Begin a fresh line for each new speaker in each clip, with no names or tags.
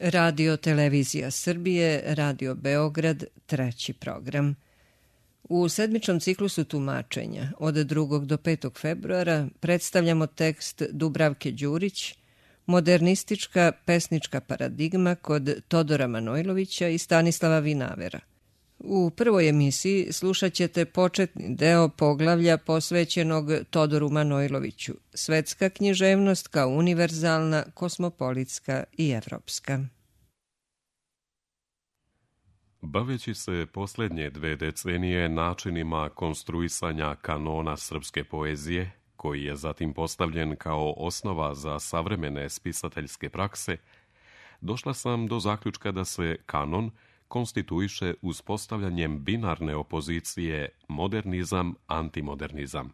Radio Televizija Srbije, Radio Beograd, treći program. U sedmičnom ciklusu tumačenja od 2. do 5. februara predstavljamo tekst Dubravke Đurić, Modernistička pesnička paradigma kod Todora Manojlovića i Stanislava Vinavera. U prvoj emisiji slušat ćete početni deo poglavlja posvećenog Todoru Manojloviću, svetska književnost kao univerzalna, kosmopolitska i evropska.
Baveći se posljednje 2 decenije načinima konstruisanja kanona srpske poezije, koji je zatim postavljen kao osnova za savremene spisateljske prakse, došla sam do zaključka da se kanon konstituiše uspostavljanjem binarne opozicije modernizam-antimodernizam.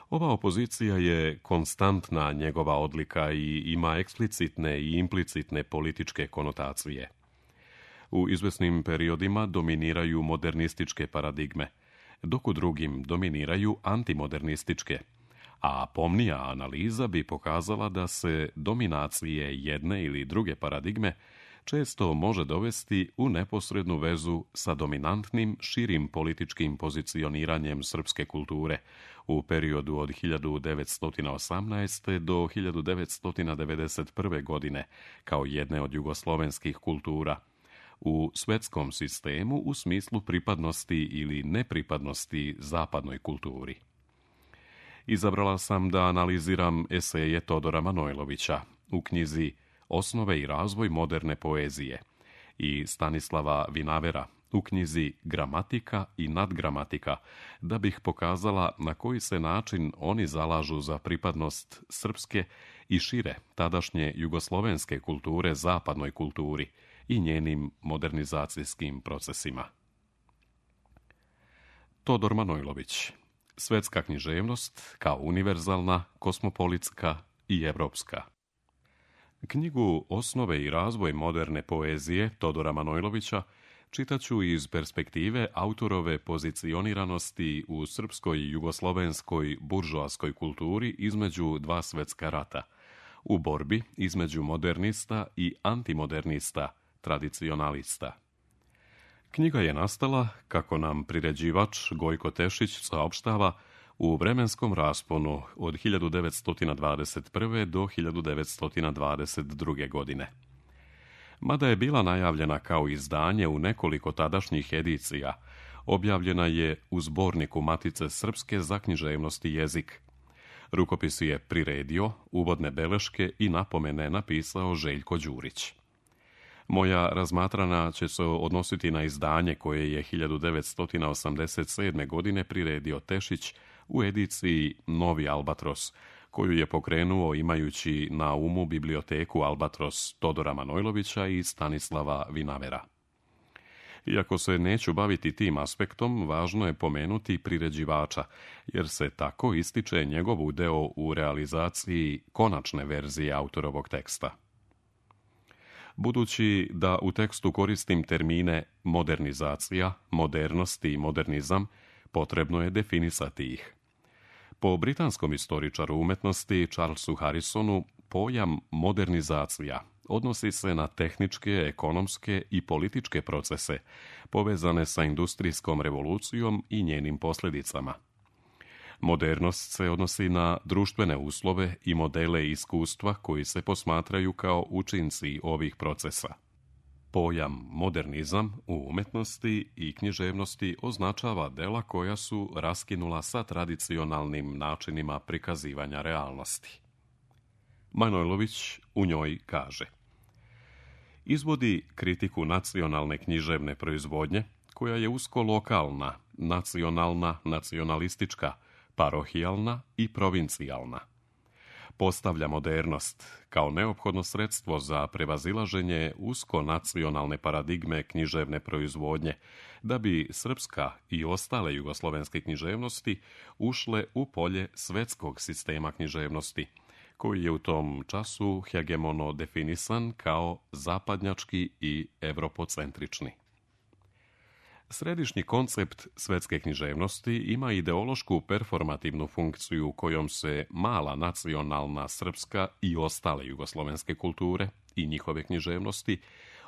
Ova opozicija je konstantna njegova odlika i ima eksplicitne i implicitne političke konotacije. U izvesnim periodima dominiraju modernističke paradigme, dok u drugim dominiraju antimodernističke, a pomnija analiza bi pokazala da se dominacije jedne ili druge paradigme često može dovesti u neposrednu vezu sa dominantnim širim političkim pozicioniranjem srpske kulture u periodu od 1918. do 1991. godine kao jedne od jugoslovenskih kultura, u svetskom sistemu u smislu pripadnosti ili nepripadnosti zapadnoj kulturi. Izabrala sam da analiziram eseje Todora Manojlovića u knjizi Osnove i razvoj moderne poezije i Stanislava Vinavera u knjizi Gramatika i nadgramatika, da bih pokazala na koji se način oni zalažu za pripadnost srpske i šire tadašnje jugoslovenske kulture zapadnoj kulturi i njenim modernizacijskim procesima. Todor Manojlović, svetska književnost kao univerzalna, kosmopolitska i evropska. Knjigu Osnove i razvoj moderne poezije Todora Manojlovića čitaću iz perspektive autorove pozicioniranosti u srpskoj i jugoslovenskoj buržoaskoj kulturi između dva svetska rata, u borbi između modernista i antimodernista, tradicionalista. Knjiga je nastala, kako nam priređivač Gojko Tešić saopštava, u vremenskom rasponu od 1921. do 1922. godine. Mada je bila najavljena kao izdanje u nekoliko tadašnjih edicija, objavljena je u zborniku Matice Srpske za književnost i jezik. Rukopis je priredio, uvodne beleške i napomene napisao Željko Đurić. Moja razmatrana će se odnositi na izdanje koje je 1987. godine priredio Tešić u ediciji Novi Albatros, koju je pokrenuo imajući na umu biblioteku Albatros Todora Manojlovića i Stanislava Vinavera. Iako se neću baviti tim aspektom, važno je pomenuti priređivača, jer se tako ističe njegov udeo u realizaciji konačne verzije autorovog teksta. Budući da u tekstu koristim termine modernizacija, modernost i modernizam, potrebno je definisati ih. Po britanskom istoričaru umetnosti Charlesu Harrisonu, pojam modernizacija odnosi se na tehničke, ekonomske i političke procese povezane sa industrijskom revolucijom i njenim posljedicama. Modernost se odnosi na društvene uslove i modele iskustva koji se posmatraju kao učinci ovih procesa. Pojam modernizam u umetnosti i književnosti označava dela koja su raskinula sa tradicionalnim načinima prikazivanja realnosti. Manojlović u njoj kaže: izvodi kritiku nacionalne književne proizvodnje, koja je usko lokalna, nacionalna, nacionalistička, parohijalna i provincijalna. Postavlja modernost kao neophodno sredstvo za prevazilaženje usko nacionalne paradigme književne proizvodnje, da bi srpska i ostale jugoslovenske književnosti ušle u polje svetskog sistema književnosti, koji je u tom času hegemono definisan kao zapadnjački i evropocentrični. Središnji koncept svetske književnosti ima ideološku performativnu funkciju kojom se mala nacionalna srpska i ostale jugoslovenske kulture i njihove književnosti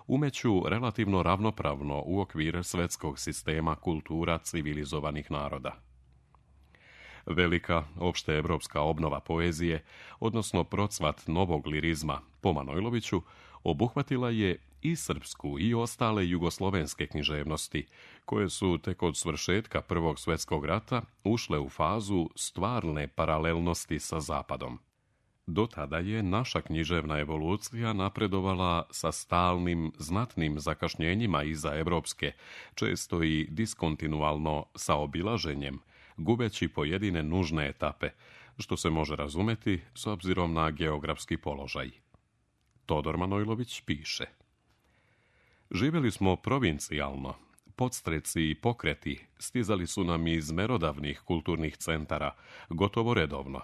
umeću relativno ravnopravno u okvir svetskog sistema kultura civilizovanih naroda. Velika opšteevropska obnova poezije, odnosno procvat novog lirizma po Manojloviću, obuhvatila je i srpsku i ostale jugoslovenske književnosti, koje su tek od svršetka Prvog svjetskog rata ušle u fazu stvarne paralelnosti sa Zapadom. Do tada je naša književna evolucija napredovala sa stalnim, znatnim zakašnjenjima iza evropske, često i diskontinualno sa obilaženjem, gubeći pojedine nužne etape, što se može razumeti s obzirom na geografski položaj. Todor Manojlović piše: živjeli smo provincijalno, podstreci i pokreti stizali su nam iz merodavnih kulturnih centara, gotovo redovno.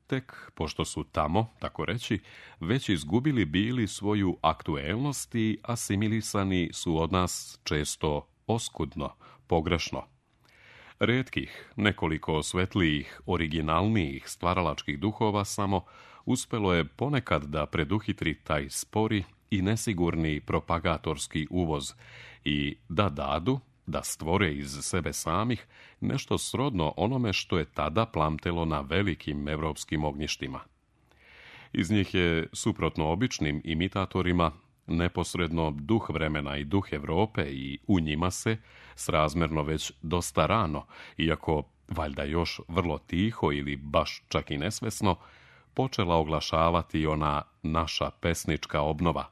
Tek, pošto su tamo, tako reći, već izgubili bili svoju aktuelnost i asimilisani su od nas često oskudno, pogrešno. Retkih, nekoliko svetlijih, originalnijih stvaralačkih duhova samo uspelo je ponekad da preduhitri taj spori i nesigurni propagatorski uvoz i da stvore iz sebe samih nešto srodno onome što je tada plamtelo na velikim evropskim ognjištima. Iz njih je, suprotno običnim imitatorima, neposredno duh vremena i duh Evrope i u njima se, srazmerno već dosta rano, iako valjda još vrlo tiho ili baš čak i nesvesno, počela oglašavati ona naša pesnička obnova,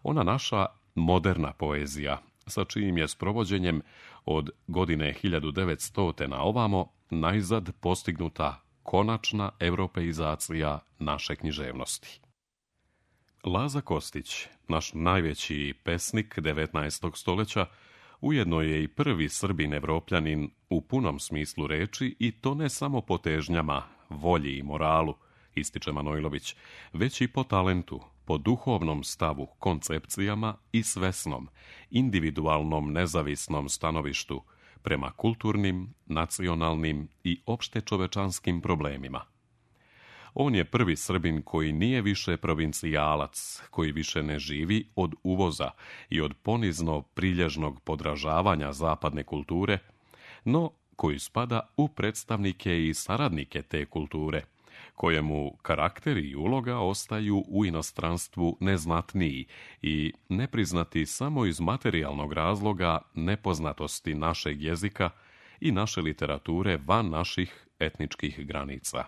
ona naša moderna poezija, sa čijim je sprovođenjem od godine 1900. na ovamo najzad postignuta konačna europeizacija naše književnosti. Laza Kostić, naš najveći pesnik 19. stoljeća, ujedno je i prvi Srbin evropljanin u punom smislu reči, i to ne samo po težnjama, volji i moralu, ističe Manojlović, već i po talentu, po duhovnom stavu, koncepcijama i svesnom, individualnom nezavisnom stanovištu prema kulturnim, nacionalnim i opštečovečanskim problemima. On je prvi Srbin koji nije više provincijalac, koji više ne živi od uvoza i od ponizno prilježnog podražavanja zapadne kulture, no koji spada u predstavnike i saradnike te kulture, kojemu karakter i uloga ostaju u inostranstvu neznatniji i nepriznati samo iz materijalnog razloga nepoznatosti našeg jezika i naše literature van naših etničkih granica.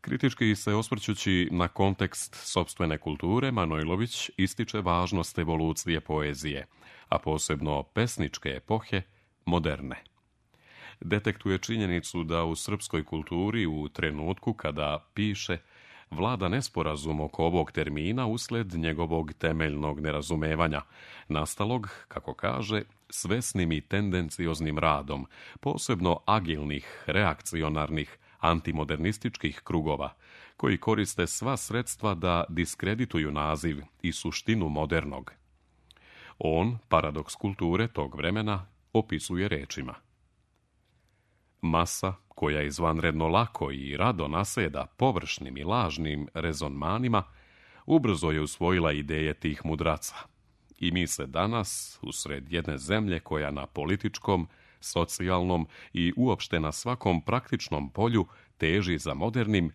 Kritički se osvrćući na kontekst sopstvene kulture, Manojlović ističe važnost evolucije poezije, a posebno pesničke epohe, moderne. Detektuje činjenicu da u srpskoj kulturi u trenutku kada piše vlada nesporazum oko ovog termina usled njegovog temeljnog nerazumevanja, nastalog, kako kaže, svesnim i tendencioznim radom, posebno agilnih, reakcionarnih, antimodernističkih krugova, koji koriste sva sredstva da diskredituju naziv i suštinu modernog. On, paradoks kulture tog vremena, opisuje rečima: masa, koja izvanredno lako i rado naseda površnim i lažnim rezonmanima, ubrzo je usvojila ideje tih mudraca. I mi se danas, usred jedne zemlje koja na političkom, socijalnom i uopšte na svakom praktičnom polju teži za modernim,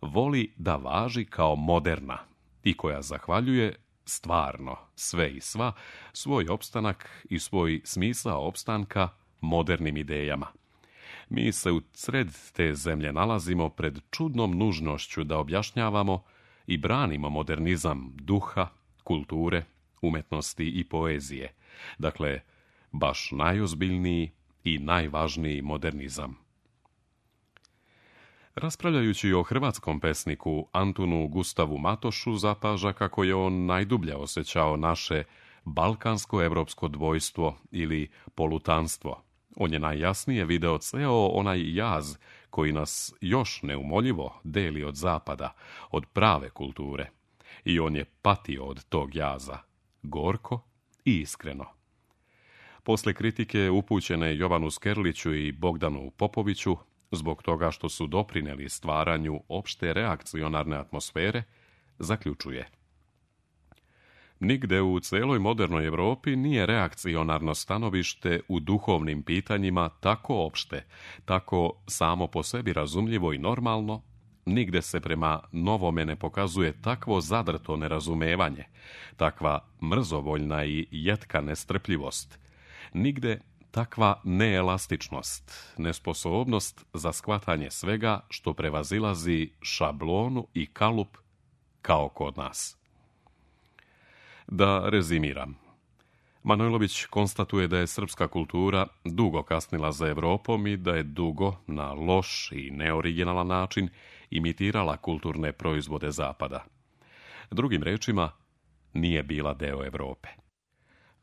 voli da važi kao moderna i koja zahvaljuje stvarno sve i sva svoj opstanak i svoj smisao opstanka modernim idejama. Mi se u sred te zemlje nalazimo pred čudnom nužnošću da objašnjavamo i branimo modernizam duha, kulture, umetnosti i poezije. Dakle, baš najozbiljniji i najvažniji modernizam. Raspravljajući o hrvatskom pesniku Antunu Gustavu Matošu, zapaža kako je on najdublje osjećao naše balkansko-evropsko dvojstvo ili polutanstvo. On je najjasnije video ceo onaj jaz koji nas još neumoljivo deli od zapada, od prave kulture. I on je patio od tog jaza, gorko i iskreno. Poslije kritike upućene Jovanu Skerliću i Bogdanu Popoviću, zbog toga što su doprinijeli stvaranju opšte reakcionarne atmosfere, zaključuje: nigde u celoj modernoj Europi nije reakcionarno stanovište u duhovnim pitanjima tako opšte, tako samo po sebi razumljivo i normalno, nigde se prema novome ne pokazuje takvo zadrto nerazumevanje, takva mrzovoljna i jetka nestrpljivost, nigde takva neelastičnost, nesposobnost za shvatanje svega što prevazilazi šablonu i kalup kao kod nas. Da rezimiram. Manojlović konstatuje da je srpska kultura dugo kasnila za Evropom i da je dugo, na loš i neoriginalan način, imitirala kulturne proizvode Zapada. Drugim rečima, nije bila deo Evrope.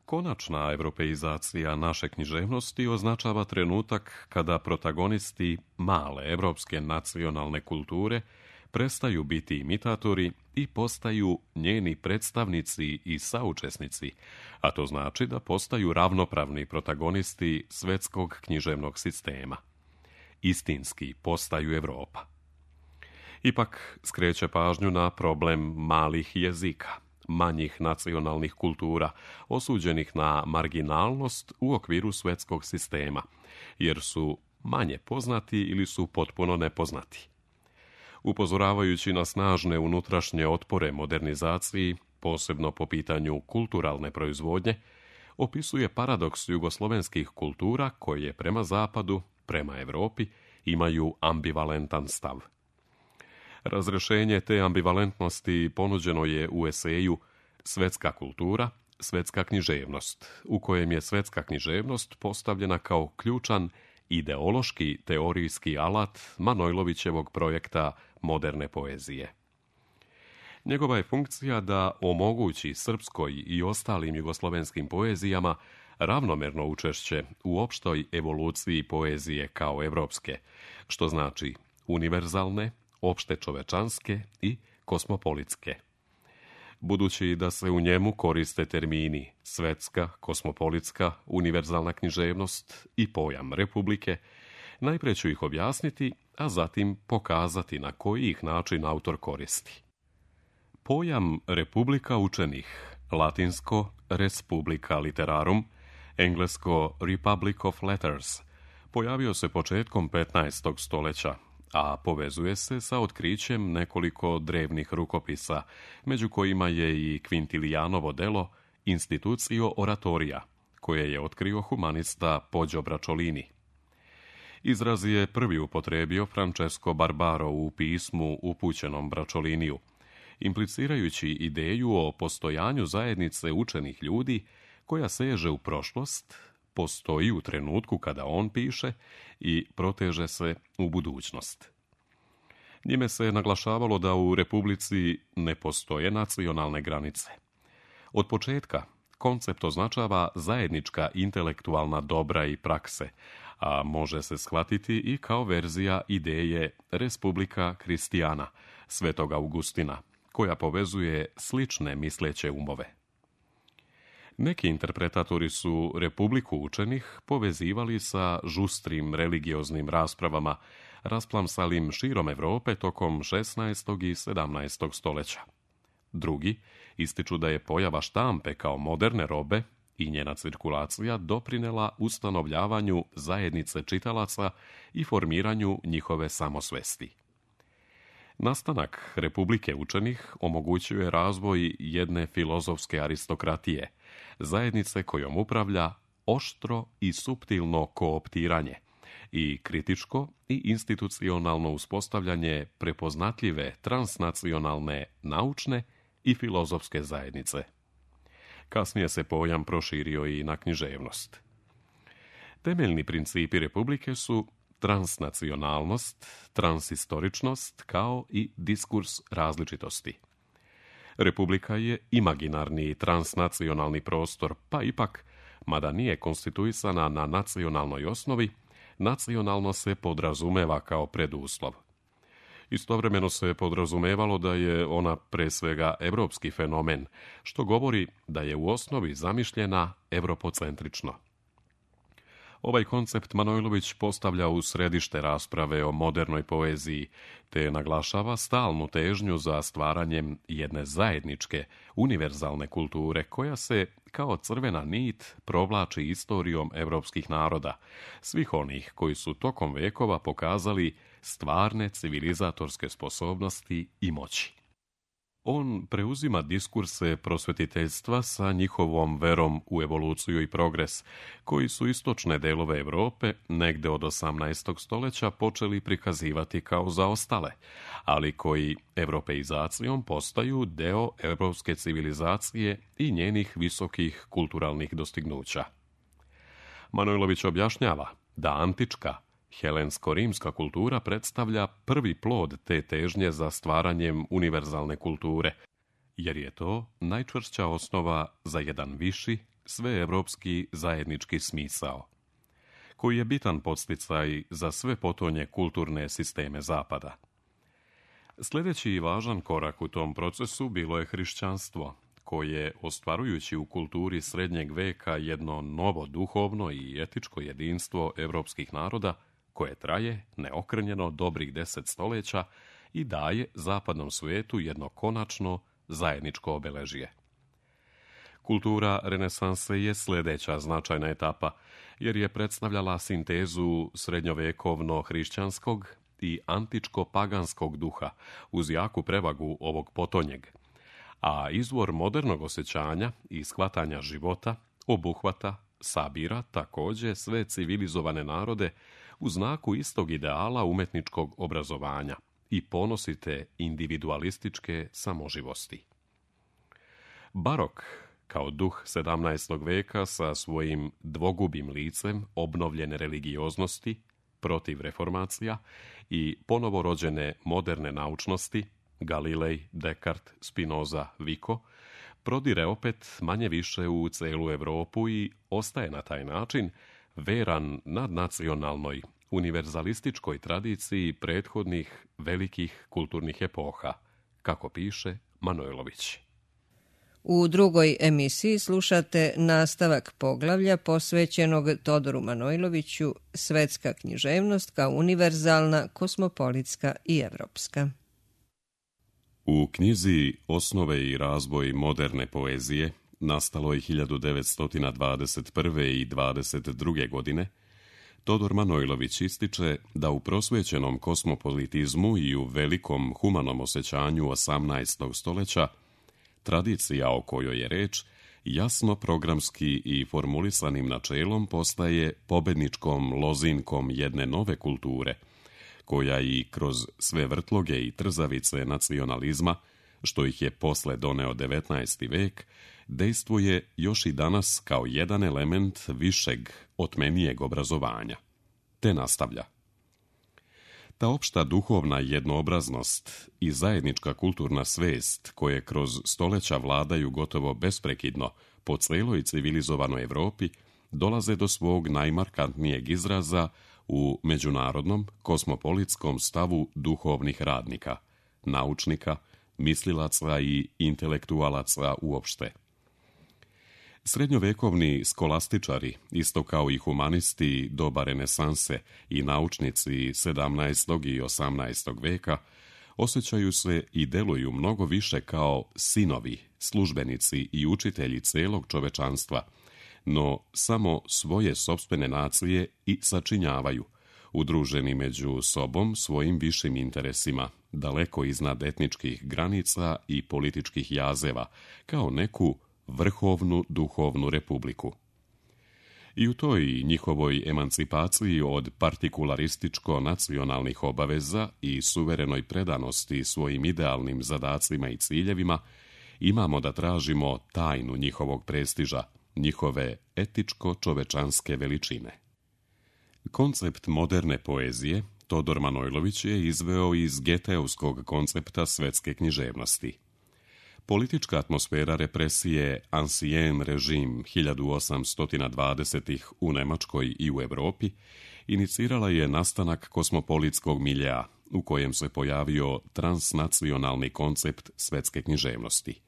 Konačna evropeizacija naše književnosti označava trenutak kada protagonisti male evropske nacionalne kulture prestaju biti imitatori i postaju njeni predstavnici i saučesnici, a to znači da postaju ravnopravni protagonisti svetskog književnog sistema. Istinski postaju Evropa. Ipak skreće pažnju na problem malih jezika, manjih nacionalnih kultura, osuđenih na marginalnost u okviru svetskog sistema, jer su manje poznati ili su potpuno nepoznati. Upozoravajući na snažne unutrašnje otpore modernizaciji, posebno po pitanju kulturalne proizvodnje, opisuje paradoks jugoslovenskih kultura koje prema Zapadu, prema Evropi, imaju ambivalentan stav. Razrešenje te ambivalentnosti ponuđeno je u eseju Svetska kultura, svetska književnost, u kojem je svetska književnost postavljena kao ključan ideološki teorijski alat Manojlovićevog projekta moderne poezije. Njegova je funkcija da omogući srpskoj i ostalim jugoslovenskim poezijama ravnomerno učešće u opštoj evoluciji poezije kao evropske, što znači univerzalne, opšte čovečanske i kosmopolitske. Budući da se u njemu koriste termini svetska, kosmopolitska, univerzalna književnost i pojam republike, najprije ću ih objasniti, a zatim pokazati na koji ih način autor koristi. Pojam republika učenih, latinsko res publica literarum, englesko Republic of Letters, pojavio se početkom 15. stoljeća, a povezuje se sa otkrićem nekoliko drevnih rukopisa, među kojima je i Quintilianovo delo Institutio Oratoria, koje je otkrio humanista Poggio Bracciolini. Izraz je prvi upotrebio Francesco Barbaro u pismu upućenom Braccioliniu, implicirajući ideju o postojanju zajednice učenih ljudi koja seže u prošlost, postoji u trenutku kada on piše i proteže se u budućnost. Njime se naglašavalo da u Republici ne postoje nacionalne granice. Od početka koncept označava zajednička intelektualna dobra i prakse, a može se shvatiti i kao verzija ideje Respublika Kristijana, Svetog Augustina, koja povezuje slične misleće umove. Neki interpretatori su Republiku učenih povezivali sa žustrim religioznim raspravama, rasplamsalim širom Evrope tokom 16. i 17. stoljeća. Drugi ističu da je pojava štampe kao moderne robe i njena cirkulacija doprinela ustanovljavanju zajednice čitalaca i formiranju njihove samosvesti. Nastanak Republike učenih omogućuje razvoj jedne filozofske aristokratije, zajednice kojom upravlja oštro i suptilno kooptiranje i kritičko i institucionalno uspostavljanje prepoznatljive transnacionalne naučne i filozofske zajednice. Kasnije se pojam proširio i na književnost. Temeljni principi Republike su transnacionalnost, transhistoričnost kao i diskurs različitosti. Republika je imaginarni transnacionalni prostor, pa ipak, mada nije konstituisana na nacionalnoj osnovi, nacionalno se podrazumeva kao preduslov. Istovremeno se podrazumevalo da je ona pre svega evropski fenomen, što govori da je u osnovi zamišljena evropocentrično. Ovaj koncept Manojlović postavlja u središte rasprave o modernoj poeziji, te naglašava stalnu težnju za stvaranjem jedne zajedničke, univerzalne kulture koja se, kao crvena nit, provlači istorijom evropskih naroda, svih onih koji su tokom vekova pokazali stvarne civilizatorske sposobnosti i moći. On preuzima diskurse prosvetiteljstva sa njihovom verom u evoluciju i progres, koji su istočne delove Europe negde od 18. stoljeća počeli prikazivati kao zaostale, ali koji europeizacijom postaju deo evropske civilizacije i njenih visokih kulturalnih dostignuća. Manojlović objašnjava da antička, helensko-rimska kultura predstavlja prvi plod te težnje za stvaranjem univerzalne kulture, jer je to najčvršća osnova za jedan viši, sveevropski zajednički smisao, koji je bitan podsticaj za sve potonje kulturne sisteme Zapada. Sljedeći i važan korak u tom procesu bilo je hrišćanstvo, koje, ostvarujući u kulturi srednjeg veka jedno novo duhovno i etičko jedinstvo evropskih naroda, koje traje neokrnjeno dobrih 10 stoljeća i daje zapadnom svijetu jedno konačno zajedničko obeležje. Kultura renesanse je sljedeća značajna etapa, jer je predstavljala sintezu srednjovekovno-hrišćanskog i antičko-paganskog duha uz jaku prevagu ovog potonjeg, a izvor modernog osjećanja i shvatanja života obuhvata, sabira također sve civilizovane narode u znaku istog ideala umetničkog obrazovanja i ponosite individualističke samoživosti. Barok, kao duh 17. veka sa svojim dvogubim licem obnovljene religioznosti, protiv reformacija i ponovo rođene moderne naučnosti, Galilej, Descartes, Spinoza, Vico, prodire opet manje više u celu Europu i ostaje na taj način veran nadnacionalnoj, univerzalističkoj tradiciji prethodnih velikih kulturnih epoha, kako piše Manojlović.
U drugoj emisiji slušate nastavak poglavlja posvećenog Todoru Manojloviću Svetska književnost kao univerzalna, kosmopolitska i evropska.
U knjizi Osnove i razvoj moderne poezije, nastalo je 1921. i 22. godine, Todor Manojlović ističe da u prosvećenom kosmopolitizmu i u velikom humanom osjećanju 18. stoljeća tradicija o kojoj je reč jasno programski i formulisanim načelom postaje pobedničkom lozinkom jedne nove kulture, koja i kroz sve vrtloge i trzavice nacionalizma, što ih je posle doneo 19. vek, dejstvuje još i danas kao jedan element višeg, otmenijeg obrazovanja. Te nastavlja. Ta opšta duhovna jednoobraznost i zajednička kulturna svest, koje kroz stoljeća vladaju gotovo besprekidno po celoj civilizovanoj Evropi, dolaze do svog najmarkantnijeg izraza u međunarodnom kosmopolitskom stavu duhovnih radnika, naučnika, mislilaca i intelektualaca uopšte. Srednjovekovni skolastičari, isto kao i humanisti doba renesanse i naučnici 17. i 18. veka, osjećaju se i deluju mnogo više kao sinovi, službenici i učitelji celog čovečanstva, no samo svoje sopstvene nacije i sačinjavaju, udruženi među sobom svojim višim interesima, daleko iznad etničkih granica i političkih jazeva, kao neku vrhovnu duhovnu republiku. I u toj njihovoj emancipaciji od partikularističko-nacionalnih obaveza i suverenoj predanosti svojim idealnim zadacima i ciljevima imamo da tražimo tajnu njihovog prestiža, njihove etičko-čovečanske veličine. Koncept moderne poezije Todor Manojlović je izveo iz Geteovskog koncepta svetske književnosti. Politička atmosfera represije Ancien režim 1820-ih u Nemačkoj i u Europi inicirala je nastanak kosmopolitskog miljea u kojem se pojavio transnacionalni koncept svetske književnosti.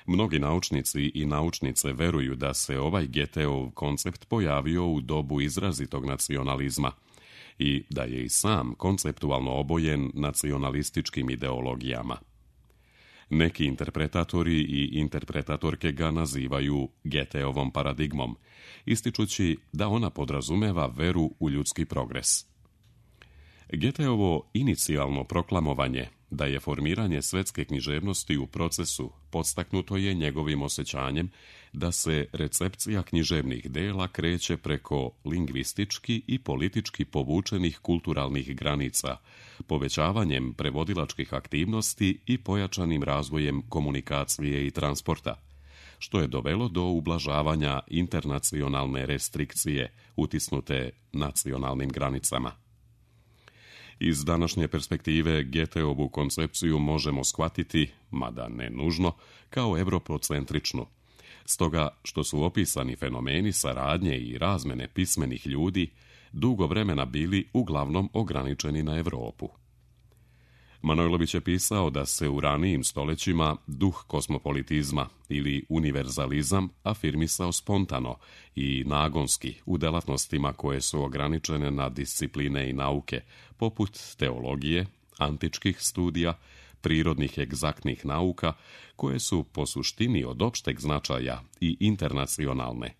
Mnogi naučnici i naučnice veruju da se ovaj Goetheov koncept pojavio u dobu izrazitog nacionalizma i da je i sam konceptualno obojen nacionalističkim ideologijama. Neki interpretatori i interpretatorke ga nazivaju Goetheovom paradigmom, ističući da ona podrazumeva veru u ljudski progres. Goetheovo inicijalno proklamovanje da je formiranje svetske književnosti u procesu podstaknuto je njegovim osjećanjem da se recepcija književnih dela kreće preko lingvistički i politički povučenih kulturalnih granica, povećavanjem prevodilačkih aktivnosti i pojačanim razvojem komunikacije i transporta, što je dovelo do ublažavanja internacionalne restrikcije utisnute nacionalnim granicama. Iz današnje perspektive Goetheovu koncepciju možemo shvatiti, mada ne nužno, kao europocentričnu. Stoga što su opisani fenomeni saradnje i razmene pismenih ljudi dugo vremena bili uglavnom ograničeni na Europu. Manojlović je pisao da se u ranijim stoljećima duh kosmopolitizma ili univerzalizam afirmisao spontano i nagonski u delatnostima koje su ograničene na discipline i nauke, poput teologije, antičkih studija, prirodnih egzaktnih nauka, koje su po suštini od opšteg značaja i internacionalne.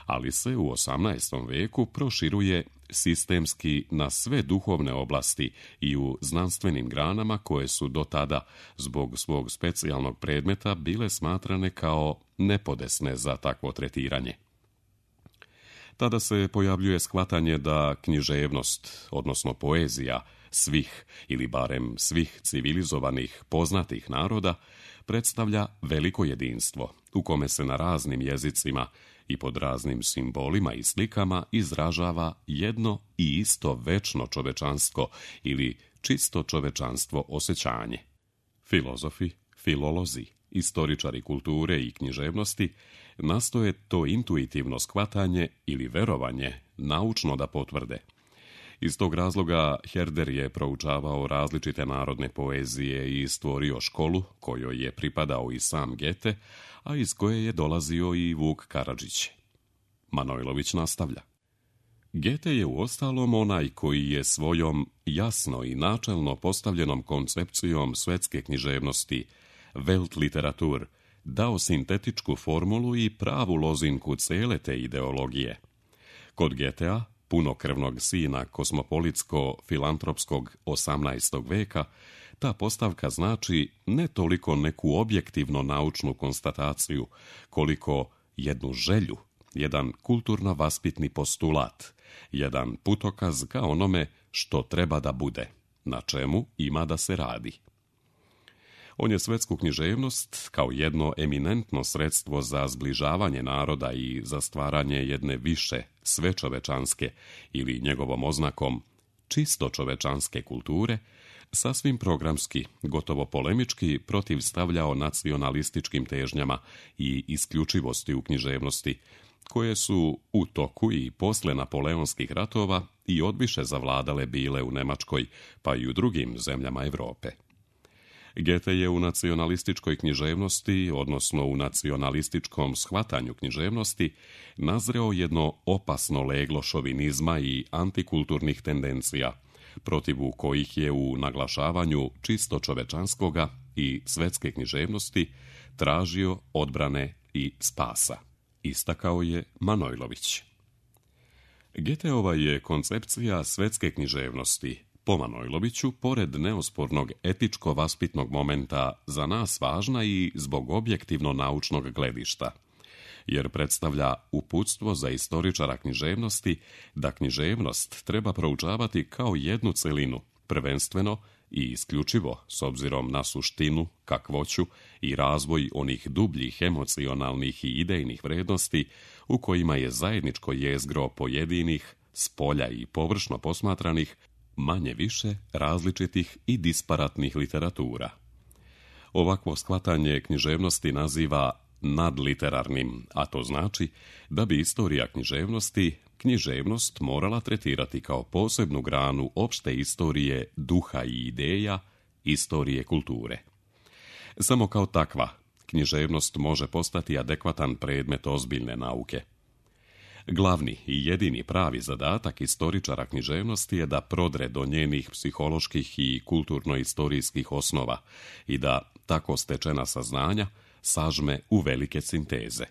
Ali se u 18. veku proširuje sistemski na sve duhovne oblasti i u znanstvenim granama koje su do tada, zbog svog specijalnog predmeta, bile smatrane kao nepodesne za takvo tretiranje. Tada se pojavljuje shvatanje da književnost, odnosno poezija, svih ili barem svih civilizovanih poznatih naroda predstavlja veliko jedinstvo u kome se na raznim jezicima i pod raznim simbolima i slikama izražava jedno i isto večno čovečansko ili čisto čovečanstvo osjećanje. Filozofi, filolozi, istoričari kulture i književnosti nastoje to intuitivno shvatanje ili verovanje naučno da potvrde. Iz tog razloga Herder je proučavao različite narodne poezije i stvorio školu kojoj je pripadao i sam Goethe, a iz koje je dolazio i Vuk Karadžić. Manojlović nastavlja. Goethe je uostalom onaj koji je svojom jasno i načelno postavljenom koncepcijom svetske književnosti, Weltliteratur, dao sintetičku formulu i pravu lozinku cele te ideologije. Kod Goethea, punokrvnog sina kosmopolitsko-filantropskog 18. veka, ta postavka znači ne toliko neku objektivno naučnu konstataciju, koliko jednu želju, jedan kulturno-vaspitni postulat, jedan putokaz ka onome što treba da bude, na čemu ima da se radi. On je svetsku književnost kao jedno eminentno sredstvo za zbližavanje naroda i za stvaranje jedne više svečovečanske ili njegovom oznakom čisto čovečanske kulture, sasvim programski, gotovo polemički protivstavljao nacionalističkim težnjama i isključivosti u književnosti, koje su u toku i posle napoleonskih ratova i odviše zavladale bile u Nemačkoj, pa i u drugim zemljama Europe. Goethe je u nacionalističkoj književnosti, odnosno u nacionalističkom shvatanju književnosti, nazreo jedno opasno leglo šovinizma i antikulturnih tendencija, protivu kojih je u naglašavanju čisto čovečanskoga i svetske književnosti tražio odbrane i spasa, istakao je Manojlović. Goetheova je koncepcija svetske književnosti, po Manojloviću, pored neospornog etičko-vaspitnog momenta, za nas važna i zbog objektivno naučnog gledišta, jer predstavlja uputstvo za istoričara književnosti da književnost treba proučavati kao jednu celinu, prvenstveno i isključivo s obzirom na suštinu, kakvoću i razvoj onih dubljih emocionalnih i idejnih vrednosti u kojima je zajedničko jezgro pojedinih, spolja i površno posmatranih, manje više različitih i disparatnih literatura. Ovakvo shvatanje književnosti naziva nadliterarnim, a to znači da bi istorija književnosti književnost morala tretirati kao posebnu granu opšte istorije duha i ideja, istorije kulture. Samo kao takva, književnost može postati adekvatan predmet ozbiljne nauke. Glavni i jedini pravi zadatak istoričara književnosti je da prodre do njenih psiholoških i kulturno-istorijskih osnova i da tako stečena saznanja sažme u velike sinteze.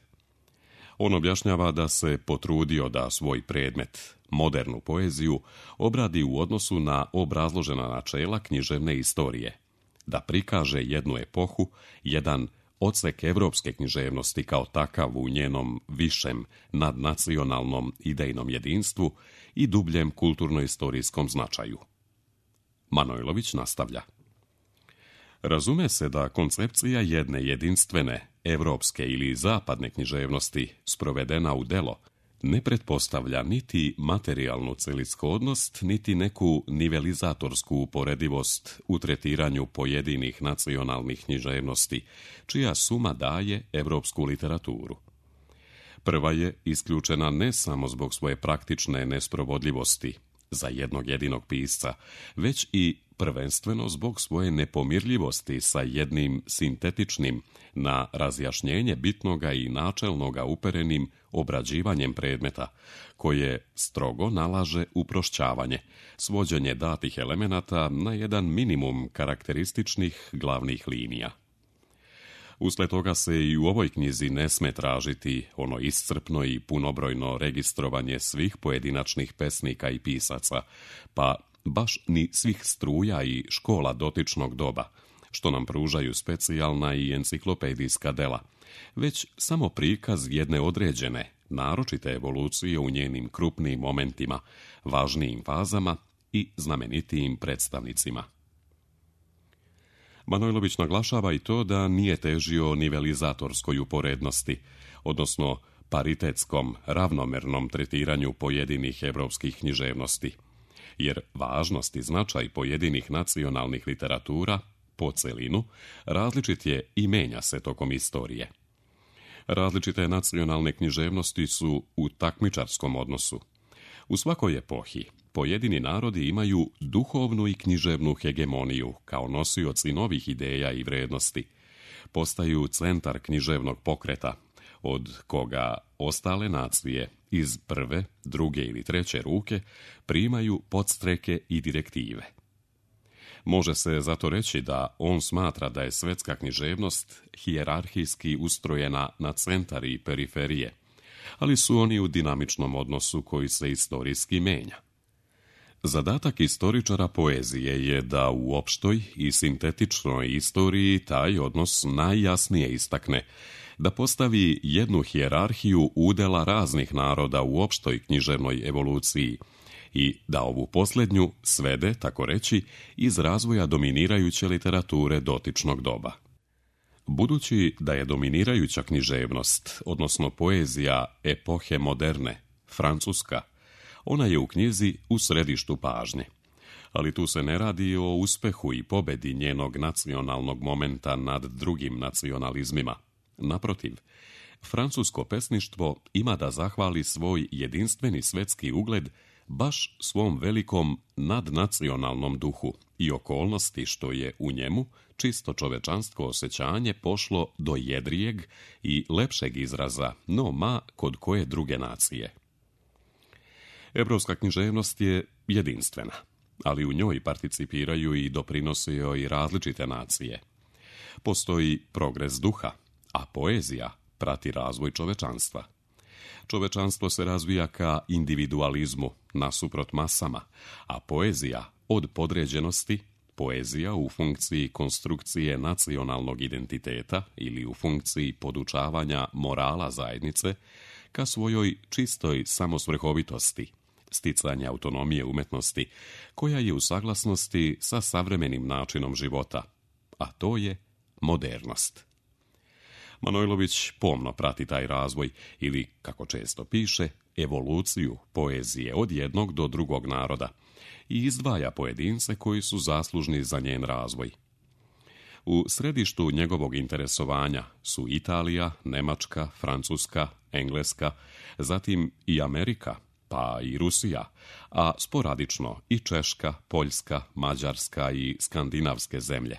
On objašnjava da se potrudio da svoj predmet, modernu poeziju, obradi u odnosu na obrazložena načela književne istorije, da prikaže jednu epohu, jedan odsek evropske književnosti kao takav u njenom višem nadnacionalnom idejnom jedinstvu i dubljem kulturno-istorijskom značaju. Manojlović nastavlja. Razume se da koncepcija jedne jedinstvene, evropske ili zapadne književnosti sprovedena u delo ne pretpostavlja niti materijalnu celishodnost, niti neku nivelizatorsku uporedivost u tretiranju pojedinih nacionalnih književnosti, čija suma daje evropsku literaturu. Prva je isključena ne samo zbog svoje praktične nesprovodljivosti za jednog jedinog pisca, već i prvenstveno zbog svoje nepomirljivosti sa jednim sintetičnim, na razjašnjenje bitnoga i načelnoga uperenim obrađivanjem predmeta, koje strogo nalaže uprošćavanje, svođenje datih elemenata na jedan minimum karakterističnih glavnih linija. Usled toga se i u ovoj knjizi ne sme tražiti ono iscrpno i punobrojno registrovanje svih pojedinačnih pesnika i pisaca, pa baš ni svih struja i škola dotičnog doba, što nam pružaju specijalna i enciklopedijska dela, već samo prikaz jedne određene, naročite evolucije u njenim krupnim momentima, važnijim fazama i znamenitijim predstavnicima. Manojlović naglašava i to da nije težio nivelizatorskoj uporednosti, odnosno paritetskom, ravnomernom tretiranju pojedinih evropskih književnosti, jer važnost i značaj pojedinih nacionalnih literatura po celinu različit je i menja se tokom istorije. Različite nacionalne književnosti su u takmičarskom odnosu. U svakoj epohi pojedini narodi imaju duhovnu i književnu hegemoniju kao nosioci novih ideja i vrednosti. Postaju centar književnog pokreta, od koga ostale nacije iz prve, druge ili treće ruke primaju podstreke i direktive. Može se zato reći da on smatra da je svetska književnost hijerarhijski ustrojena na centar i periferije, ali su oni u dinamičnom odnosu koji se istorijski menja. Zadatak istoričara poezije je da u opštoj i sintetičnoj istoriji taj odnos najjasnije istakne, da postavi jednu hijerarhiju udela raznih naroda u opštoj književnoj evoluciji i da ovu posljednju svede, tako reći, iz razvoja dominirajuće literature dotičnog doba. Budući da je dominirajuća književnost, odnosno poezija epohe moderne, francuska, ona je u knjizi u središtu pažnje. Ali tu se ne radi o uspehu i pobedi njenog nacionalnog momenta nad drugim nacionalizmima. Naprotiv, francusko pesništvo ima da zahvali svoj jedinstveni svetski ugled baš svom velikom nadnacionalnom duhu i okolnosti što je u njemu čisto čovečansko osjećanje pošlo do jedrijeg i lepšeg izraza, no ma kod koje druge nacije. Evropska književnost je jedinstvena, ali u njoj participiraju i doprinose joj različite nacije. Postoji progres duha, a poezija prati razvoj čovečanstva. Čovečanstvo se razvija ka individualizmu nasuprot masama, a poezija od podređenosti, poezija u funkciji konstrukcije nacionalnog identiteta ili u funkciji podučavanja morala zajednice, ka svojoj čistoj samosvrhovitosti, sticanja autonomije umetnosti, koja je u saglasnosti sa savremenim načinom života, a to je modernost. Manojlović pomno prati taj razvoj ili, kako često piše, evoluciju poezije od jednog do drugog naroda i izdvaja pojedince koji su zaslužni za njen razvoj. U središtu njegovog interesovanja su Italija, Nemačka, Francuska, Engleska, zatim i Amerika, pa i Rusija, a sporadično i Češka, Poljska, Mađarska i skandinavske zemlje.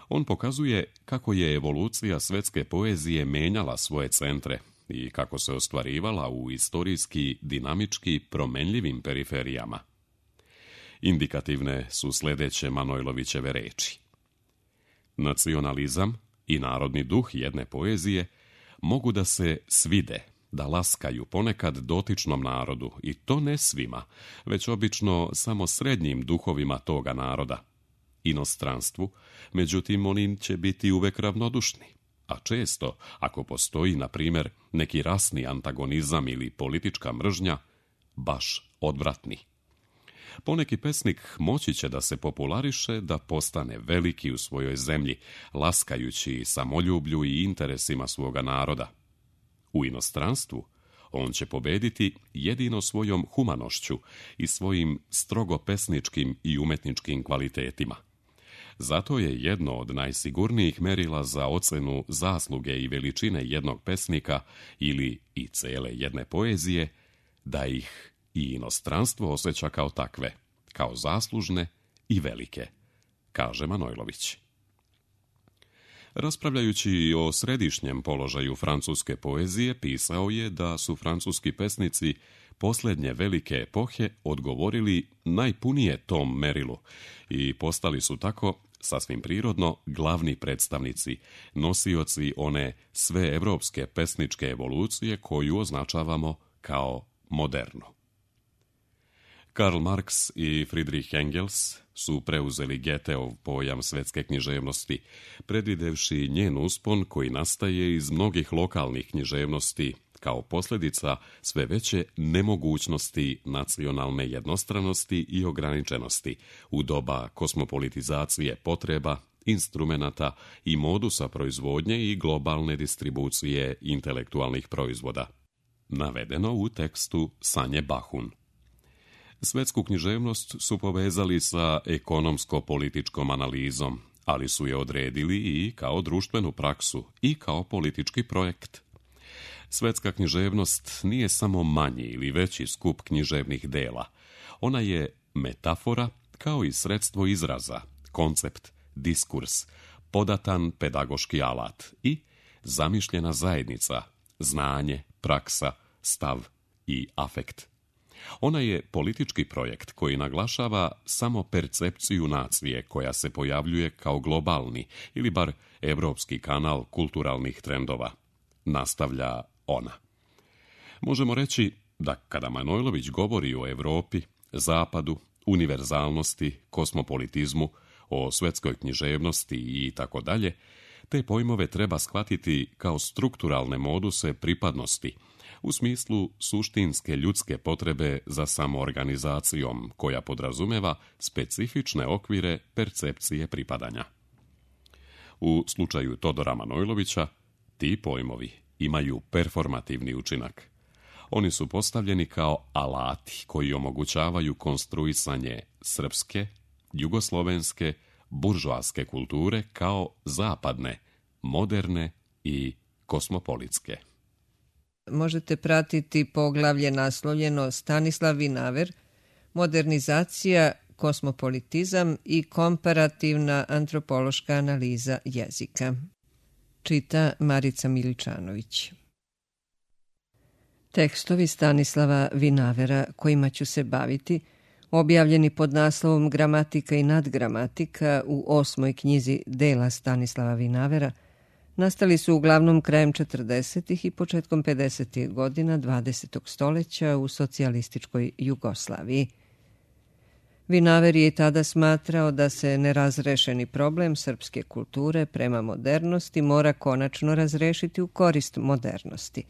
On pokazuje kako je evolucija svetske poezije menjala svoje centre i kako se ostvarivala u istorijski, dinamički promenljivim periferijama. Indikativne su sljedeće Manojlovićeve reči. Nacionalizam i narodni duh jedne poezije mogu da se svide, da laskaju ponekad dotičnom narodu, i to ne svima, već obično samo srednjim duhovima toga naroda. Inostranstvu, međutim, oni će biti uvek ravnodušni, a često, ako postoji, na primjer, neki rasni antagonizam ili politička mržnja, baš odvratni. Poneki pesnik moći će da se populariše, da postane veliki u svojoj zemlji, laskajući samoljublju i interesima svoga naroda. U inostranstvu on će pobediti jedino svojom humanošću i svojim strogo pesničkim i umetničkim kvalitetima. Zato je jedno od najsigurnijih merila za ocenu zasluge i veličine jednog pesnika ili i cele jedne poezije, da ih i inostranstvo osjeća kao takve, kao zaslužne i velike, kaže Manojlović. Raspravljajući o središnjem položaju francuske poezije, pisao je da su francuski pesnici posljednje velike epohe odgovorili najpunije tom merilu i postali su tako, sasvim prirodno, glavni predstavnici, nosioci one sveevropske pesničke evolucije koju označavamo kao modernu. Karl Marx i Friedrich Engels su preuzeli Goetheov pojam svetske književnosti, predvidevši njen uspon koji nastaje iz mnogih lokalnih književnosti, kao posljedica sve veće nemogućnosti nacionalne jednostranosti i ograničenosti u doba kosmopolitizacije potreba, instrumenata i modusa proizvodnje i globalne distribucije intelektualnih proizvoda. Navedeno u tekstu Sanje Bahun. Svetsku književnost su povezali sa ekonomsko-političkom analizom, ali su je odredili i kao društvenu praksu i kao politički projekt. Svetska književnost nije samo manji ili veći skup književnih dela. Ona je metafora kao i sredstvo izraza, koncept, diskurs, podatan pedagoški alat i zamišljena zajednica, znanje, praksa, stav i afekt. Ona je politički projekt koji naglašava samo percepciju nacije koja se pojavljuje kao globalni ili bar evropski kanal kulturalnih trendova. Nastavlja ona. Možemo reći da kada Manojlović govori o Evropi, Zapadu, univerzalnosti, kosmopolitizmu, o svetskoj književnosti i tako dalje, te pojmove treba shvatiti kao strukturalne moduse pripadnosti, u smislu suštinske ljudske potrebe za samoorganizacijom, koja podrazumeva specifične okvire percepcije pripadanja. U slučaju Todora Manojlovića, ti pojmovi imaju performativni učinak. Oni su postavljeni kao alati koji omogućavaju konstruisanje srpske, jugoslovenske, buržoaske kulture kao zapadne, moderne i kosmopolitske.
Možete pratiti poglavlje naslovljeno Stanislav Vinaver, modernizacija, kosmopolitizam i komparativna antropološka analiza jezika. Čita Marica Miličanović. Tekstovi Stanislava Vinavera kojima ću se baviti, objavljeni pod naslovom Gramatika i nadgramatika u 8. knjizi dela Stanislava Vinavera, nastali su uglavnom krajem 40. i početkom 50. godina 20. stoljeća u socijalističkoj Jugoslaviji. Vinaver je i tada smatrao da se nerazrešeni problem srpske kulture prema modernosti mora konačno razrešiti u korist modernosti.